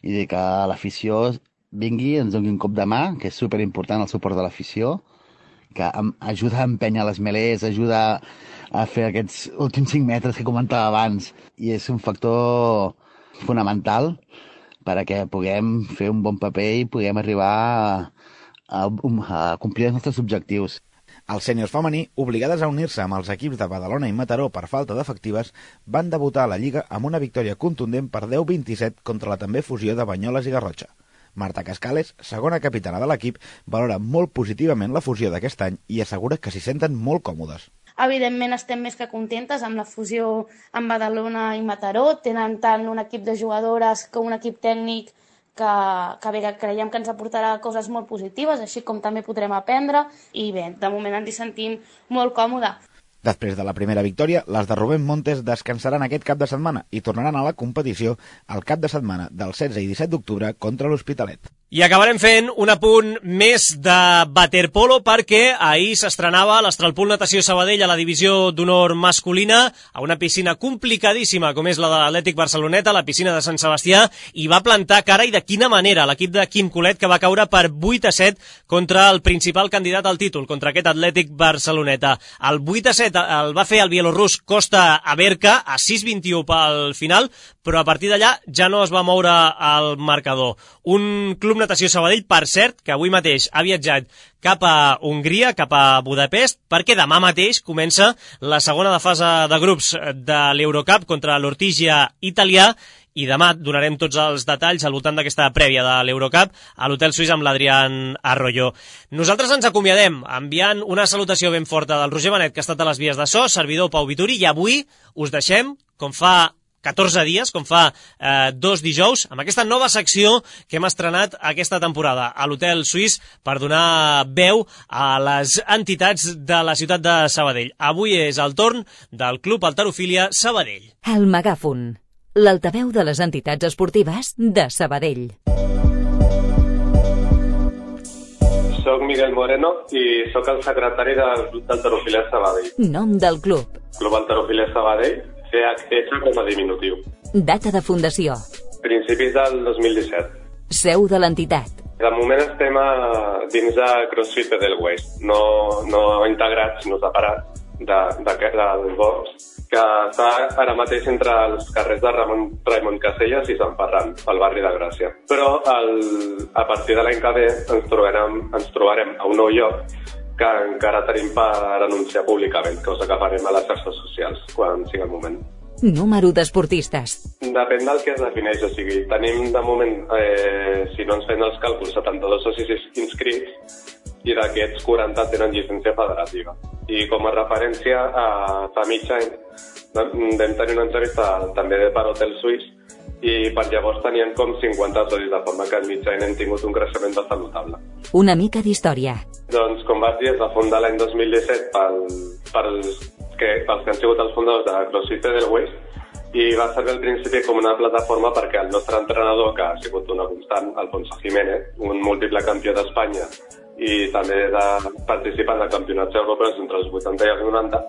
i de que l'afició vingui, ens doni un cop de mà, que és superimportant el suport de l'afició, que ajuda a empènyer les melés, ajuda a fer aquests últims cinc metres que comentava abans, i és un factor fonamental perquè puguem fer un bon paper i puguem arribar a, a, a complir els nostres objectius. Els sèniors femení, obligades a unir-se amb els equips de Badalona i Mataró per falta d'efectives, van debutar a la Lliga amb una victòria contundent per deu vint-i-set contra la també fusió de Banyoles i Garrotxa. Marta Cascales, segona capitana de l'equip, valora molt positivament la fusió d'aquest any i assegura que s'hi senten molt còmodes. Evidentment estem més que contentes amb la fusió amb Badalona i Mataró. Tenen tant un equip de jugadores com un equip tècnic que, que bé, creiem que ens aportarà coses molt positives, així com també podrem aprendre, i bé, de moment ens hi sentim molt còmodes. Després de la primera victòria, les de Rubén Montes descansaran aquest cap de setmana i tornaran a la competició el cap de setmana del setze i disset d'octubre contra l'Hospitalet. I acabarem fent un apunt més de waterpolo perquè ahir s'estrenava l'Astralpool Natació Sabadell a la divisió d'honor masculina a una piscina complicadíssima com és la de l'Atlètic Barceloneta, la piscina de Sant Sebastià, i va plantar cara, i de quina manera, l'equip de Quim Colet, que va caure per vuit a set contra el principal candidat al títol, contra aquest Atlètic Barceloneta. El vuit a set el va fer el bielorrus Costa Aberca a sis vint-i-u pel final, però a partir d'allà ja no es va moure el marcador. Un club Natació Sabadell, per cert, que avui mateix ha viatjat cap a Hongria, cap a Budapest, perquè demà mateix comença la segona de fase de grups de l'Eurocup contra l'Ortigia italià, i demà donarem tots els detalls al voltant d'aquesta prèvia de l'Eurocup a l'Hotel Suís amb l'Adrián Arroyo. Nosaltres ens acomiadem enviant una salutació ben forta del Roger Benet, que ha estat a les vies de so, servidor Pau Vituri, i avui us deixem, com fa catorze dies, com fa eh, dos dijous, amb aquesta nova secció que hem estrenat aquesta temporada a l'Hotel Suís per donar veu a les entitats de la ciutat de Sabadell. Avui és el torn del Club Halterofília Sabadell. El Megàfon, l'altaveu de les entitats esportives de Sabadell. Soc Miguel Moreno i sóc el secretari del Club Halterofília Sabadell. Nom del club. Club Halterofília Sabadell, C H S com a diminutiu. Data de fundació. Principis del dos mil disset. Seu de l'entitat. De moment estem a, dins de CrossFit Edelweiss, no, no integrats, sinó separats de, de, del box, que està ara mateix entre els carrers de Ramon, Raimon Caselles i Sant Ferran, al barri de Gràcia. Però el, a partir de l'any que ve ens trobarem, ens trobarem a un nou lloc que encara tenim per anunciar públicament, cosa que farem a les xarxes socials quan sigui el moment. Número d'esportistes. Depèn del que es defineix, o sigui, tenim de moment, eh, si no ens fem els càlculs, setanta-dos socis inscrits, i d'aquests quaranta tenen llicència federativa. I com a referència, a fa mig any vam tenir una entrevista també per Hotel Suís, i per llavors tenien com cinquanta socis, de forma que en mig any hem tingut un creixement bastant notable. Una mica d'història. Doncs, com vaig dir, es va fundar l'any dos mil disset pel, pels, que, pels que han sigut els fundadors de CrossFit Edelweiss, i va servir al principi com una plataforma perquè el nostre entrenador, que ha sigut una constant, Alfonso Jiménez, un múltiple campió d'Espanya i també de participant de campionats europeus entre els vuitanta i els noranta,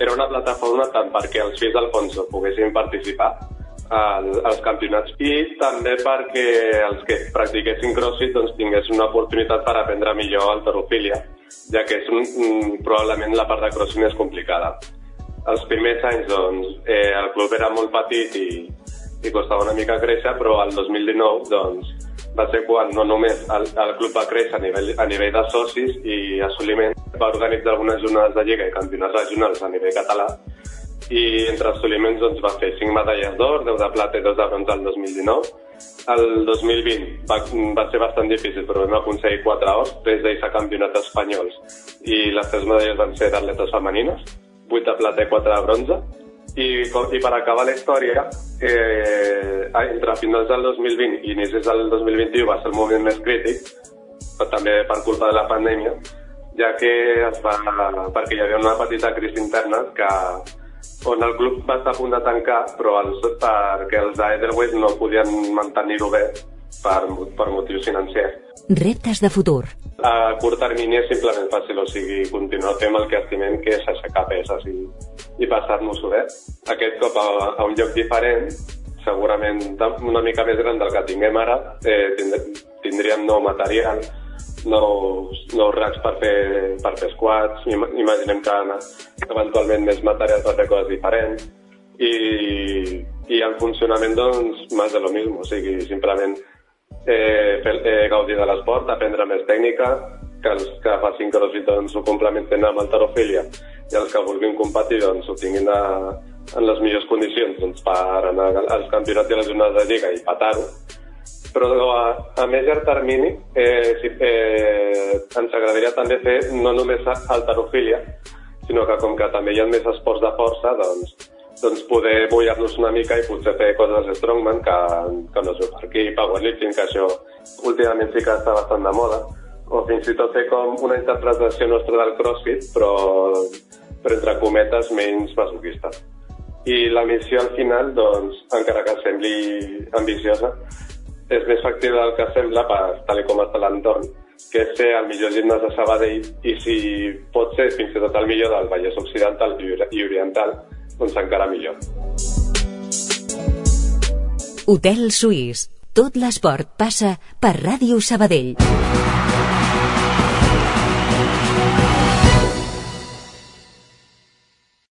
era una plataforma tant perquè els fills d'Alfonso poguessin participar als campionats i també perquè els que practiquessin CrossFit doncs, tinguessin una oportunitat per aprendre millor halterofília, ja que és un, probablement la part de CrossFit més complicada. Els primers anys doncs, eh, el club era molt petit i, i costava una mica créixer, però el dos mil dinou doncs, va ser quan no només el, el club va créixer a nivell, a nivell de socis i assoliment, va organitzar algunes jornades de lliga i campionats regionals a nivell català, i entre assoliments doncs, va fer cinc medalles d'or, deu de plata i dos de bronze el dos mil dinou. El dos mil vint va, va ser bastant difícil, però vam aconseguir quatre ors, tres d'ells a campionats espanyols, i les tres medalles van ser d'atletes femenines, vuit de plata i quatre de bronze. I, I per acabar la història, eh, entre finals del dos mil vint i inicis del dos mil vint-i-u va ser el moment més crític, però també per culpa de la pandèmia, ja que es va, perquè hi havia una petita crisi interna que, on el club va estar a punt de tancar, però els, perquè els d'Edelweiss no podien mantenir-ho bé per, per motius financers. Reptes de futur. A curt termini és simplement fàcil, o sigui, continuar fent el que estimem, que és aixecar peses i, i passar-nos-ho bé. Aquest cop a, a un lloc diferent, segurament una mica més gran del que tinguem ara, eh, tindríem nou material, nous, nous racks per fer, per fer squats, imaginem que eventualment més material per fer coses diferents, i, i en funcionament, doncs, més de lo mismo, o sigui, simplement Eh, fer, eh, gaudir de l'esport, aprendre més tècnica, que els que facin crossfit doncs, ho complementen amb halterofília, i els que vulguin competir doncs, ho tinguin a, en les millors condicions doncs, per anar als campionats i a les jornades de lliga i petar-ho. Però a, a més llarg termini eh, si, eh, ens agradaria també fer no només halterofília, sinó que com que també hi ha més esports de força, doncs doncs poder mullar-nos una mica i potser fer coses de strongman que, que no es veu per aquí, powerlifting, que això últimament sí que està bastant de moda, o fins i tot fer com una interpretació nostra del crossfit, però, però entre cometes menys masoquista. I la missió al final, doncs, encara que sembli ambiciosa, és més factible del que sembla per tal com està l'entorn, que és ser el millor gimnàs de Sabadell i si pot ser fins i tot el millor del Vallès Occidental i Oriental, doncs encara millor. Hotel Suís. Tot l'esport passa per Ràdio Sabadell.